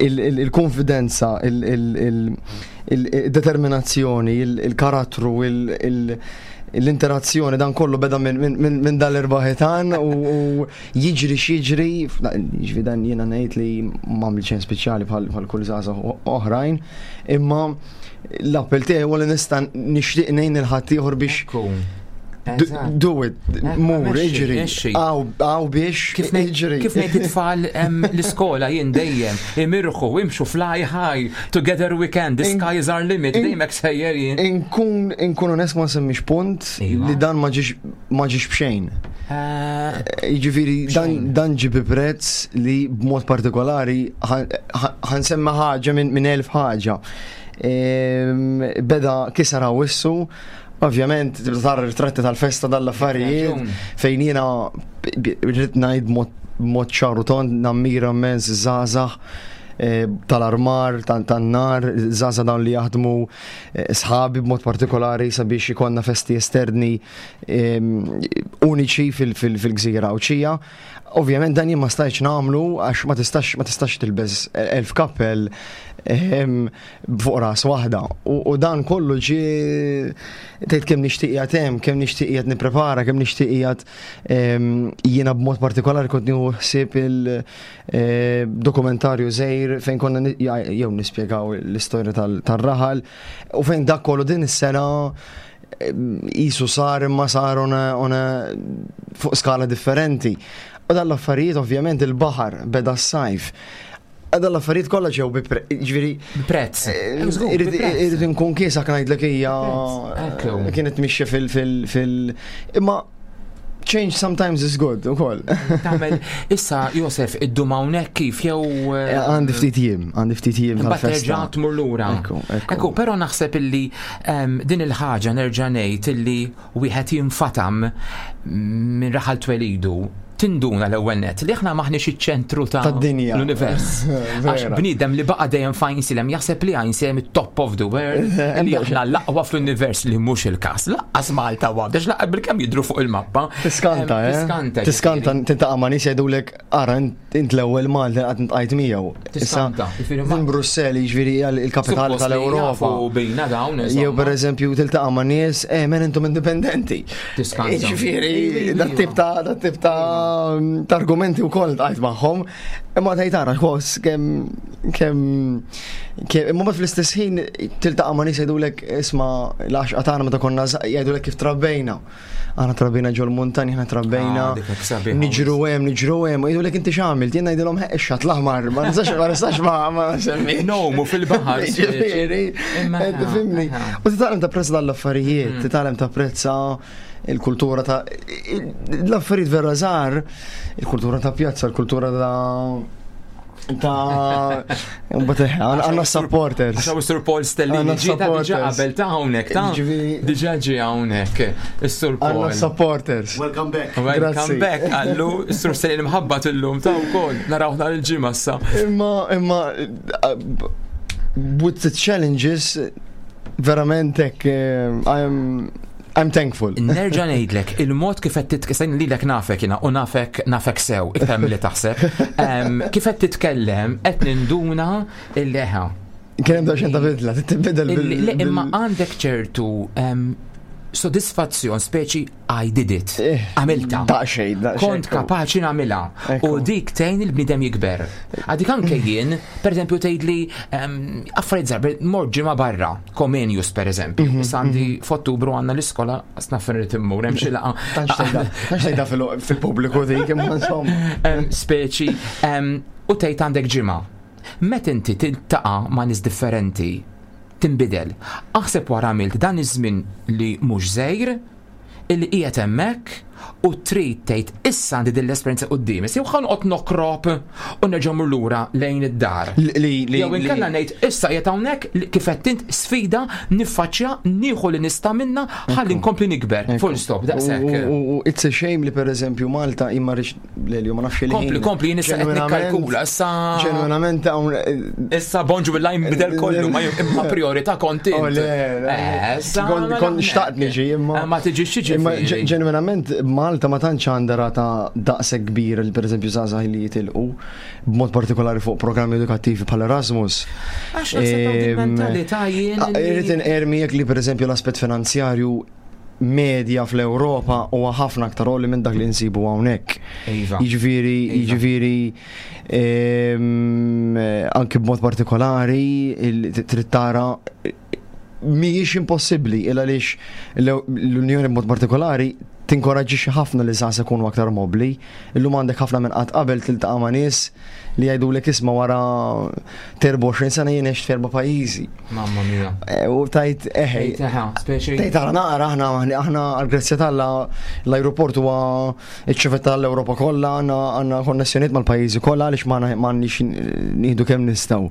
il- il- il-konfidenza, il- il- il- il- il-determinazzjoni, il- il-karattru, il- il- l-interazzjoni dan kollu beda minn min, min, min dal-erba' ħitan u, u jiġri x'jiġri, jiġri dan jiena ngħid li m'għamil xejn speċjali bħal bħal kull żgħażagħ oħrajn, imma l-appell tiegħi huwa li nista' nixtieq ngħin il ħaddieħor biex Do, do it, mur, mexxi, iġri, mexxi. għaw biex, Kif ngħid iġri. kif ngħid it-tfal em, l-iskola jien dejjem imirħu imxu fly high together we can the sky is our limit dejjem hekk sejjer jien. Inkun, inkun onest ma semmix punt li dan ma ġiex ma ġiex b'xejn. Eh, Jiġifieri dan, dan ġie bi prezz li b'mod partikolari ħansemma ħaġa minn min elf ħaġa. Ehm, Beda kisar wissu, ovvjament tibda tara ritratti tal-festa dal-affarijiet Raġun. fejn jiena rrid ngħid mod mod ċar u tond nammira immens żgħażagħ eh, tal-armar, tan-nar, żgħażagħ dawn li jaħdmu eh, sħabi b'mod partikolari sabiex ikollna festi esterni uniċi fil-gżira Għawdxija. Ovvjament dan jien ma stajtx nagħmlu għax ma tistax ma tistax tilbes elf kappell fuq ras waħda. U dan kollu ġie tgħid kemm nixtieq qiegħed hemm, kemm nixtieq qiegħed nipprepara, kemm nixtieq qiegħed jiena b'mod partikolari kont nieħu ħsieb il-dokumentarju żgħir fejn konna jew nispjegaw l-istorja tal-raħal u fejn dak kollu din is-sena jisu sar imma sar on a fuq skala differenti. U dal-affarijiet ovvjament il-baħar beda s-sajf. Dan l-affarijiet kollha ġew bi ġifieri prezz. Irrid inkun kiesaħ ngħidlek hija kienet mixja fil fil fil imma change sometimes is good ukoll. Tagħmel issa Josef iddum hawnhekk kif jew għandi ftit jiem, għandi ftit jiem tal-festa. Terġa' tmur lura. Ekku, però naħseb illi din il-ħaġa nerġa' ngħid illi wieħed jinfatam minn raħal twelidu tinduna l-ewwel net li aħna maħniex iċ-ċentru ta' tad-dinja l-univers. Għax bniedem li baqa' dejjem f'Għajnsielem jaħseb li Għajnsielem it-top of the world, li aħna l-aqwa fl-univers li mhux il-każ. Lanqas Malta għax laqqa bil-kemm jidru fuq il-mappa. Tiskanta, eh? Tiskanta. Tiskanta tiltaqa' ma' nies jgħidulek ara int l-ewwel Malti qatt iltqajt miegħu. Tiskanta. Minn Brussell jiġifieri il-kapitali tal-Ewropa. bina dawn. Jew pereżempju tiltaqa' ma' nies, eh men intom indipendenti. Tiskanta. Jiġifieri dat tip ta' dat tip ta' ta' argumenti u koll għajt magħhom, imma tgħid tara kos kemm kemm imma mbagħad fl-istess ħin tiltaqa' ma' nies jgħidulek isma' l-għaxqa tagħna meta konna jgħidulek kif trabbejna. Aħna trabbejna ġol muntani, aħna trabbejna Ah, niġru hemm, niġru hemm, u jgħidulek inti x'għamilt, jien ngħidilhom ix-xatt l-aħmar, ma nistax ma nistax ma ma semmi. Nomu fil-baħar. Ġifieri, tifhimni. U titgħallem tapprezza l-affarijiet, titgħallem tapprezza il-kultura ta' l-affarijiet vera żgħar, il-kultura ta' pjazza, il-kultura ta' ta' mbagħad għandna supporters. Għax Sur Paul Stellini ġie ta' diġà qabel ta' hawnhekk ta' diġà ġie hawnhekk is-Sur Paul. Għandna supporters. Welcome back. Welcome back għallu is-Sur Stellini mħabba illum ta' wkoll naraw nhar il-ġimgħa issa. Imma imma with the challenges verament hekk I am I'm thankful. Nerġa' ngħidlek, il-mod kif qed titkellem lilek nafek jiena u nafek nafek sew iktar milli taħseb. Kif qed titkellem qed ninduna il-leħa. Kien hemm daqsxejn ta' bidla, tibdel bil. Imma għandek ċertu sodisfazzjon speċi I did it. Għamilta. Daqsxejn, daqsxejn. Kont kapaċi nagħmilha. U dik tgħin il-bniedem jikber. Għadik anke jien, per eżempju tgħidli affarijiet żgħar, mort ġimgħa barra, Comenius per eżempju. Issa għandi f'Ottubru għandna l-iskola snaf irid immur hemm xi laqgħa. Tantx tgħidha fil-pubbliku dik imma insomma. Speċi u tgħid għandek ġimgħa. Meta inti tiltaqa' ma' nies differenti, tinbidel. Aħseb wara għamilt dan iż-żmien li mhux żgħir, illi qiegħed hemmhekk u trid tgħid issa għandi din l-esperjenza quddiemi. Jew ħa noqgħod nokrob u nerġa' mmur lura lejn id-dar. Jew inkella ngħid issa qiegħed hawnhekk kif qed int sfida niffaċċja nieħu li nista' minna ħalli nkompli nikber. Full stop, daqshekk. U it's a shame li pereżempju Malta imma rix lejli ma nafx il Kompli, kompli, jien issa qed nikkalkula issa. Ġenwinament hawn Issa bonġu bil jinbidel kollu ma imma priorità kont int. Kont xtaqt niġi imma. Ma tiġix xiġi. Imma ġenwinament Malta ma tantx għandha rata daqshekk kbir li pereżempju żgħażagħ li jitilqu b'mod partikolari fuq programmi edukattivi bħal Erasmus. Għax naħseb mentalità jien. Irrid inqermi jekk li pereżempju l-aspett finanzjarju medja fl-Ewropa huwa ħafna aktar għoli minn dak li nsibu hawnhekk. Iva. Jiġifieri, jiġifieri anke b'mod partikolari trid tara mhijiex impossibbli il għaliex l-Unjoni b'mod partikolari tinkoraġġixxi ħafna li żgħażagħ ikunu aktar mobbli. Illum għandek ħafna minn qatt qabel tiltaqa' ma' nies li jgħidulek isma' wara erbgħa u għoxrin sena jien għext f'erba' pajjiżi. Mamma mia. U tajt eħe. Tgħid ara naqra aħna aħna għall-grazzja t'Alla l-ajruport huwa iċ-ċivetta tal-Ewropa kollha, għandna għandna konnessjonijiet mal-pajjiżi kollha għaliex m'għandniex nieħdu kemm nistgħu.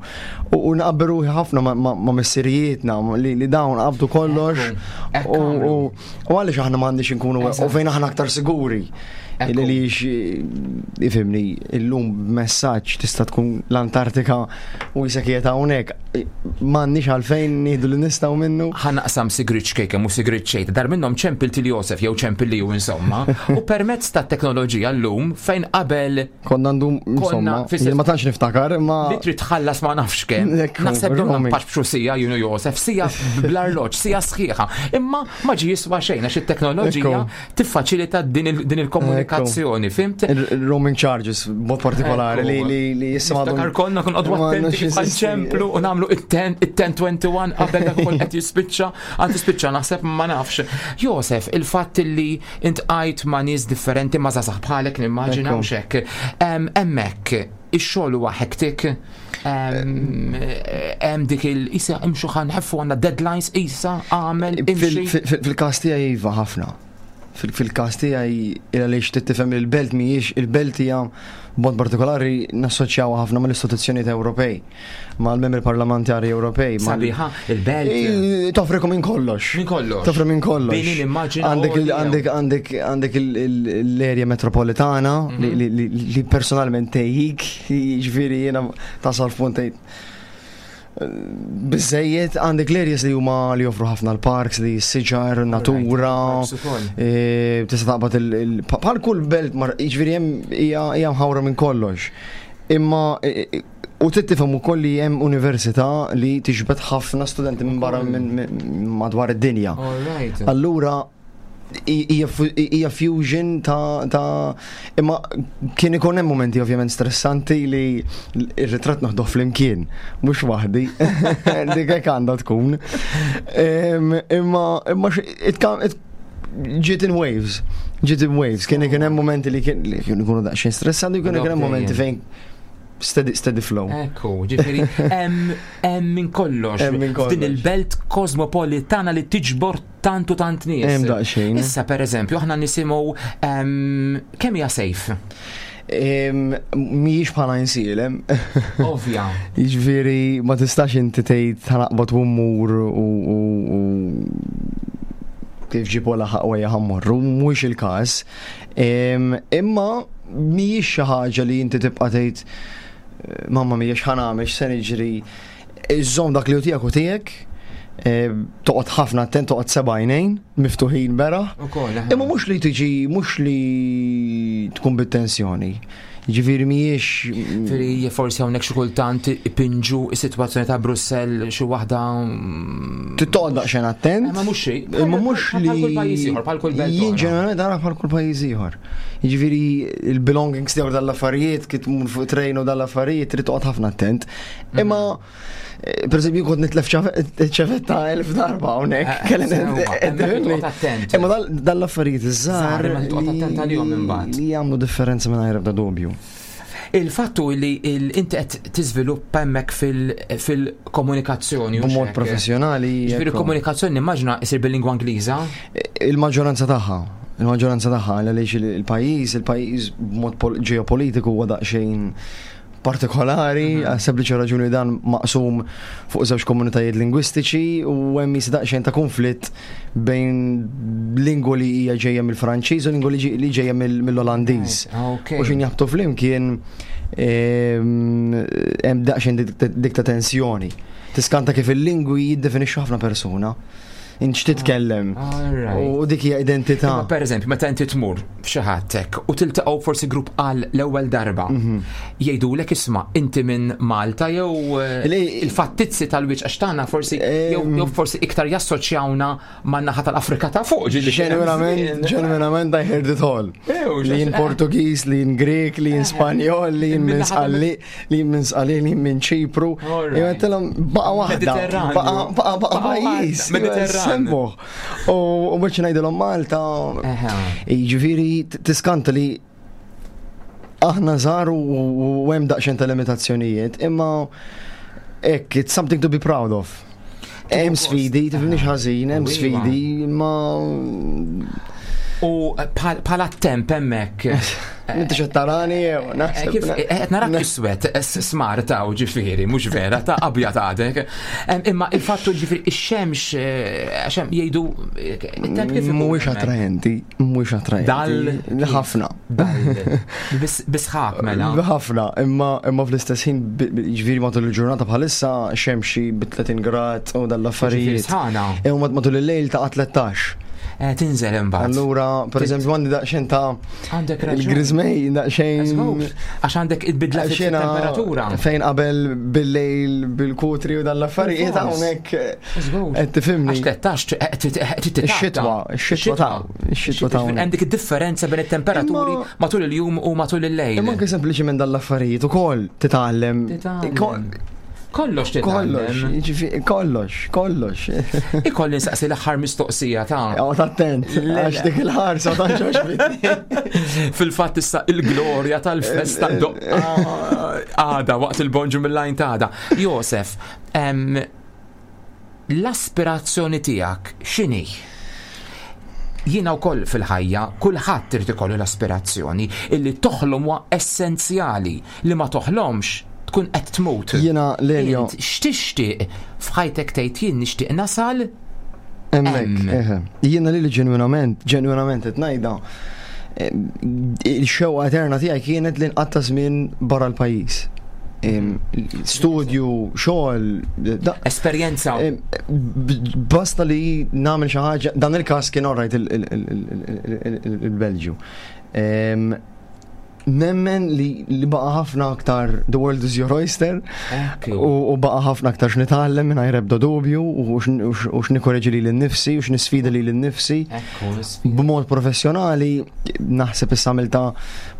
U naqbel ruħi ħafna ma' missirijietna li dawn qabdu kollox u għaliex aħna m'għandniex inkunu U fejn aħna aktar siguri. Ekku. Li ifhimni, illum b'messaġġ tista' tkun l-Antartika u jisek qiegħed hawnhekk. M'għandniex għalfejn nieħdu li nistgħu minnu. Ħa naqsam sigrit ċkejken u sigrit xejn, dar minnhom ċempil til Josef jew ċempil li insomma, u permezz ta' teknoloġija llum fejn qabel Konna ndum, insomma, fis- jien ma tantx niftakar, imma li trid tħallas ma nafx kemm. Ekku, Naħseb domna roaming. npaxbxu siegħa jien u Josef, siegħa bl-arloġġ, siegħa sħiħa. Imma ma ġi jiswa xejn għax it-teknoloġija Ekku. tiffaċilita din il- din il-komunikazzjoni, fhimt? il-roaming charges b'mod partikolari li li li issa m'għadhom- Niftakar konna kun qogħdu ma attenti għandux kif jeżisti. ċemplu u nagħmlu it-ten it-ten twenty-one qabel dak ukoll qed jispiċċa, għad tispiċċa naħseb ma nafx. Josef, il-fatt li iltqajt ma' nies differenti, ma' żgħażagħ bħalek nimmaġina Ekku. u xek. Hemmhekk ix-xogħol huwa hectic. Hemm dik il isa imxu ħa nħeffu, għandna deadlines, isa għamel Fil- imxi. fil- fil- Fil-każ tiegħi iva, ħafna. Fil- Fil-każ tiegħi għaliex tifhem il-belt mhijiex, il-belt hija b'mod partikolari nassoċjawha ħafna mal-istituzzjonijiet Ewropej, mal-membri parlamentari Ewropej. mal- Sabiħa il-belt. Eh, Toffrikom minn kollox. Minn kollox. Toffri minn kollox. Bini nimmaġina Għandek il- għoli, għandek għandek għandek il- il- l-area metropolitana li- Mhm. li li- li personalment tejjik, jiġifieri jiena tasal f'punt tgħid biżejjed. Għandek l-areas li huma li joffru ħafna l-parks, li s-siġar, natura, Parks ukoll. eh, tista' taqbad il- il- bħal kull belt, mar- jiġifieri hemm hija hija mħawra minn kollox. Imma eh, eh, u trid tifhem ukoll li hemm università li tiġbed ħafna studenti minn barra minn minn madwar id-dinja. All right. Allura i- hija fu- hija fusion ta' ta' imma kien ikun hemm momenti ovvjament stressanti li ir-ritratt noħduh flimkien, mhux waħdi. Dik hekk għandha tkun. Em, Imma imma x- it come- it ġiet in waves. Ġiet in waves. Kien ikun hemm momenti li kien li kienu jkunu daqsxejn stressanti u kien ikun hemm momenti fejn steady, steady flow. Ekku, ġifieri, hemm hemm minn kollox. Hemm minn kollox. F'din il-belt kosmopolitana li tiġbor tant u tant nies. Hemm daqsxejn. Issa per eżempju, aħna nisimgħu em, kemm hija safe? Em, Mhijiex bħala Għajnsielem. Ovvja. Jiġifieri ma tistax inti tgħid ħa naqbad u mmur u u- u kif ġibu laħaq wejja ħa mmorru, mhuwiex il-każ. Em, Imma mhijiex xi ħaġa li inti tibqa' tgħid mamma mia x'ħa nagħmel, x'se niġri. Iżżomm dak li hu tiegħek u tiegħek, eh, toqgħod ħafna attent, toqgħod seba' għajnejn miftuħin beraħ. Ukoll, aha. Imma mhux li tiġi, mhux li tkun bit-tensjoni. Ġifieri mhijiex Ġifieri forsi hawnhekk xi kultant ipinġu is-sitwazzjoni ta' Brussell xi waħda mm, Toqgħod daqsxejn attent. Ma mhux xi. Imma mhux li. Bħal kull pajjiż ieħor, bħal kull belt Jien oħra. ġeneralment ara bħal kull pajjiż ieħor. Jiġifieri il-belongings tiegħek dal-affarijiet, kif tmur fuq train u dal-affarijiet, trid toqgħod ħafna attent. Mhm. Imma eh, per eżempju kont nitlef ċavetta elf darba hawnhekk. Eh, Kelli- sewwa, eh, hemmhekk toqgħod attent. Imma dal- dal-affarijiet iż-żgħar Żgħar, imma toqgħod attent għalihom imbagħad. li jagħmlu differenza mingħajr ebda dubju. Il-fattu li il- inti qed tiżviluppa hemmhekk fil- fil-komunikazzjoni. u B'mod x'hekk. professjonali. Ġifieri ekku. komunikazzjoni nimmaġina isir bil-lingwa Ingliża. Il-maġġoranza tagħha, il-maġġoranza tagħha għaliex il-pajjiż, il-pajjiż b'mod pol- ġeopolitiku huwa daqsxejn partikolari, għal sempliċi raġuni dan maqsum fuq żewġ komunitajiet lingwistiċi u hemm jista' daqsxejn ta' konflitt bejn lingwa li hija ġejja mill-Franċiż u lingwa li ġi- li ġejja mill- mill-Olandiż. Ok. U xin jaħbtu flimkien em, hemm daqsxejn dik- dik ta' tensjoni. Tiskanta kif il-lingwi jiddefinixxu ħafna persuna. Int x'titkellem. Alright. U dik hija identità. Imma per eżempju, meta inti tmur f'xi ħadd hekk u tiltaqgħu forsi grupp għal l-ewwel darba, Mhm. jgħidulek isma' inti minn Malta jew eh, Li- il-fattizzi tal-wiċċ għax tagħna forsi jew jew forsi iktar jassoċjawna man-naħa tal-Afrika ta' fuq ġieli kien hemm Ġenwinament, żmien. ġenwinament I heard it all. Ew, Li jien eh. Portugiż, li jien Grek, li jien Spanjol, li jien minn Min-naħa tal- Sqalli, li jien minn Sqalli, li jien minn Ċipru. Alright. Jew għedtilhom baqa waħda, Mediterranju. baqa baqa baqa Baqa pajjiż. waħda, Mediterran. Semmuh. U u biex ngħidilhom Malta, Eħe. jiġifieri t- tiskanta li aħna żgħar u u hemm daqsxejn ta' limitazzjonijiet, imma hekk it's something to be proud of. Hemm sfidi, tifhimniex ħażin, hemm Iva. sfidi, imma U bħala temp hemmhekk. Inti xed tarani jew Eh, naħseb. Kif qed narak iswed smar ta' ġifieri, mhux vera, ta' abjad għadek. Em, Imma il-fattu ġifieri ix-xemx eh, għax hemm jgħidu eh, it-temp kif ikun Mhuwiex hemmhekk? attraenti, mhuwiex attraenti. Dal- Ħafna. Dal. Bis- Bisħaq mela. Ħafna, imma imma fl-istess ħin bi- bi- ġifieri matul il-ġurnata bħalissa xemxi bi tletin grad u Ġifieri dal-affarijiet. sħana. Imma matul il-lejl ta' tlettax. Eh, Tinżel imbagħad. Allura, per eżempju, għandi daqsxejn ta' Għandek raġun. il-grizmej, daqsxejn. Għax għandek il-bidla Xena fit-temperatura. Fejn qabel bil-lejl, bil-kutri u dal-affarijiet Bil-fors. hawnhekk Żgur. qed tifhimni. Għax tlettax, Ix-xitwa, ix-xitwa ta' ix-xitwa ta' hawnhekk. Għandek id-differenza bejn it-temperaturi Imma- matul il-jum u matul il-lejl. Imma anke sempliċiment dal-affarijiet ukoll titgħallem. Titgħallem. Kollox Kollox, titgħallem. jiġifieri kollox, kollox. Ikolli nsaqsi l-aħħar mistoqsija ta' Għod attent, għax dik il-ħarsa ta' ġoġbitni. Fil-fatt issa il-glorja tal-festa doqqa għada waqt il-bonġu mill-lajn ta' għada. Josef, em, l-aspirazzjoni tiegħek x'inhi? Jiena wkoll fil-ħajja, kulħadd irid ikollu l-aspirazzjoni illi toħlom huwa essenzjali, li ma toħlomx tkun qed tmut. Jiena Lelio, Int x'tixtieq f'ħajtek tgħid jien nixtieq nasal? hemmhekk, Hemm. eħe. Jiena li ġenwinament, ġenwinament qed ngħidha. eh, Il-xewqa eterna tiegħi kienet li nqatta' żmien barra l-pajjiż. Em, Studju, xogħol, da- Esperjenza. Em, b- Basta li nagħmel xi ħaġa, dan il-każ kien orajt il-Belġju. Em, Nemmen li li baqa ħafna aktar The World is Your Oyster Ekku. u u baqa ħafna aktar x'nitgħallem mingħajr ebda dubju u x'n- u x- u x'nikkoreġi lili nnifsi u x'nisfida lili nnifsi. Ekku, l-isfida. B'mod professjonali naħseb issa għamilta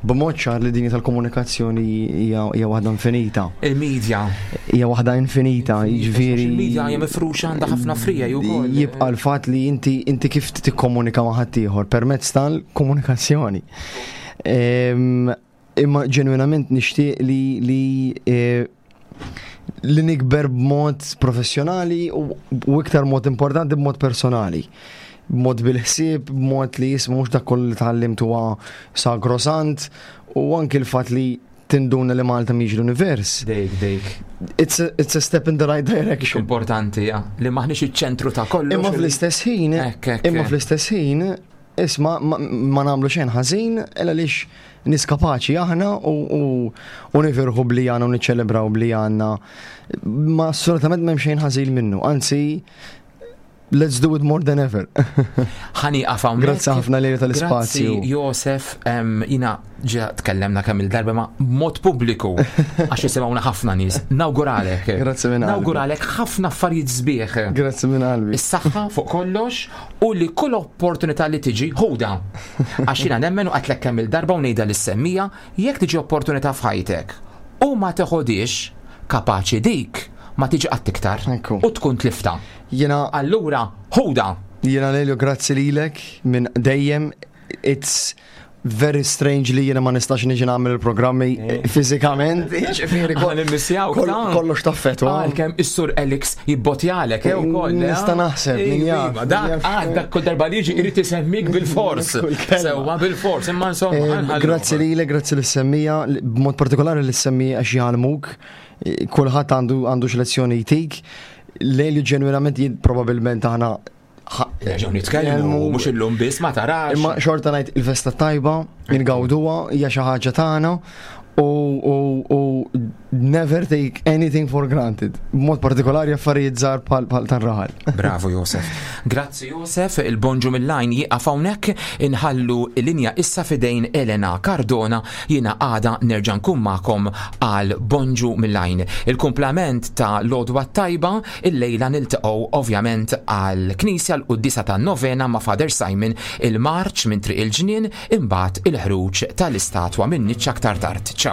b'mod ċar li dinja tal-komunikazzjoni hija hija waħda infinita. Il-medja. Hija waħda infinita, jiġifieri. Il-medja hija mifruxa għandha ħafna frija wkoll. Jibqa' l-fatt li inti inti kif tikkomunika ma' ħaddieħor permezz tal-komunikazzjoni. Em, Imma ġenwinament nixtieq li li eh, li nikber b'mod professjonali u u iktar mod importanti b'mod personali. B'mod bil-ħsieb, b'mod li jismu mhux dak kollu li tgħallimt huwa sagrosant u anki l-fatt li tinduna li Malta mhix l-univers. Dejk, dejk. It's a, it's a step in the right direction. Importanti, ja. Li maħniex iċ-ċentru ta' kollox. Imma fl-istess ħin, Ekk, ekk. imma fl-istess ħin, isma ma, ma nagħmlu xejn ħażin, illa lix nies kapaċi aħna u, u, u nifirħu bli għandna u niċċelebraw bli għandna. Ma assolutament m'hemm xejn ħażin minnu, anzi let's do it more than ever. Ħani hawnhekk. Grazzi ħafna lejli tal-ispazju. Grazzi Josef, em, jina ġa tkellemna kemm il-darba ma mod pubbliku għax jisimgħuna ħafna nies. Nawguralek. Grazzi minn qalbi. Nawguralek ħafna affarijiet sbieħ. Grazzi minn qalbi. Is-saħħa fuq kollox u li kull opportunità li tiġi ħuda. Għax jiena nemmen u għatlek kemm il-darba u ngħidha lis-semmija jekk tiġi opportunità f'ħajtek u ma teħodix kapaċi dik ma tiġi qatt iktar Ekku. u tkun tlifta. Jiena Allura ħuda. Jiena Lelio, grazzi lilek minn dejjem. It's very strange li jiena ma nistax niġi nagħmel il-programmi fiżikament. Ġifieri Aħna nimmissjawk, kol- ta' kollox taffetwa. Għalkemm is-sur Alex jibbotjalek, eh, ukoll. eh? Nista' naħseb, min Iva, jaf, min Dak jaf. għad dak kull darba li jiġi irid isemmik bil-fors. Kull kelma. Sewwa bil-fors, imma insomma. Eh, ħanħallu. Grazzi lilek, grazzi lis-semmija, li- b'mod partikolari lis-semmija għax jgħallmuk. Eh, Kulħadd għandu għandu x'lezzjoni jtik. Lejli ġenwinament jien probabbilment aħna ħa- Nerġgħu nitkellmu, mhux illum biss ma tarax. Imma xorta ngħid il-festa tajba, ingawduha, hija xi ħaġa tagħna u u u never take anything for granted. B'mod partikolari affarijiet żgħar bħal bħal tar-raħal. Bravo Josef. Grazzi Josef, il-bonġu mill-lajn jieqaf hawnhekk inħallu l-linja issa fidejn Elena Cardona jiena għada nerġa' nkun magħkom għal bonġu mill-lajn. Il-kumplament ta' Lodwa Tajba il-lejla niltaqgħu ovvjament għal Knisja l-Quddisa tan-Novena ma' Father Simon il-Marċ minn Triq il-Ġnien imbagħad il-ħruġ tal-istatwa minn niċċa aktar tard. Ciao.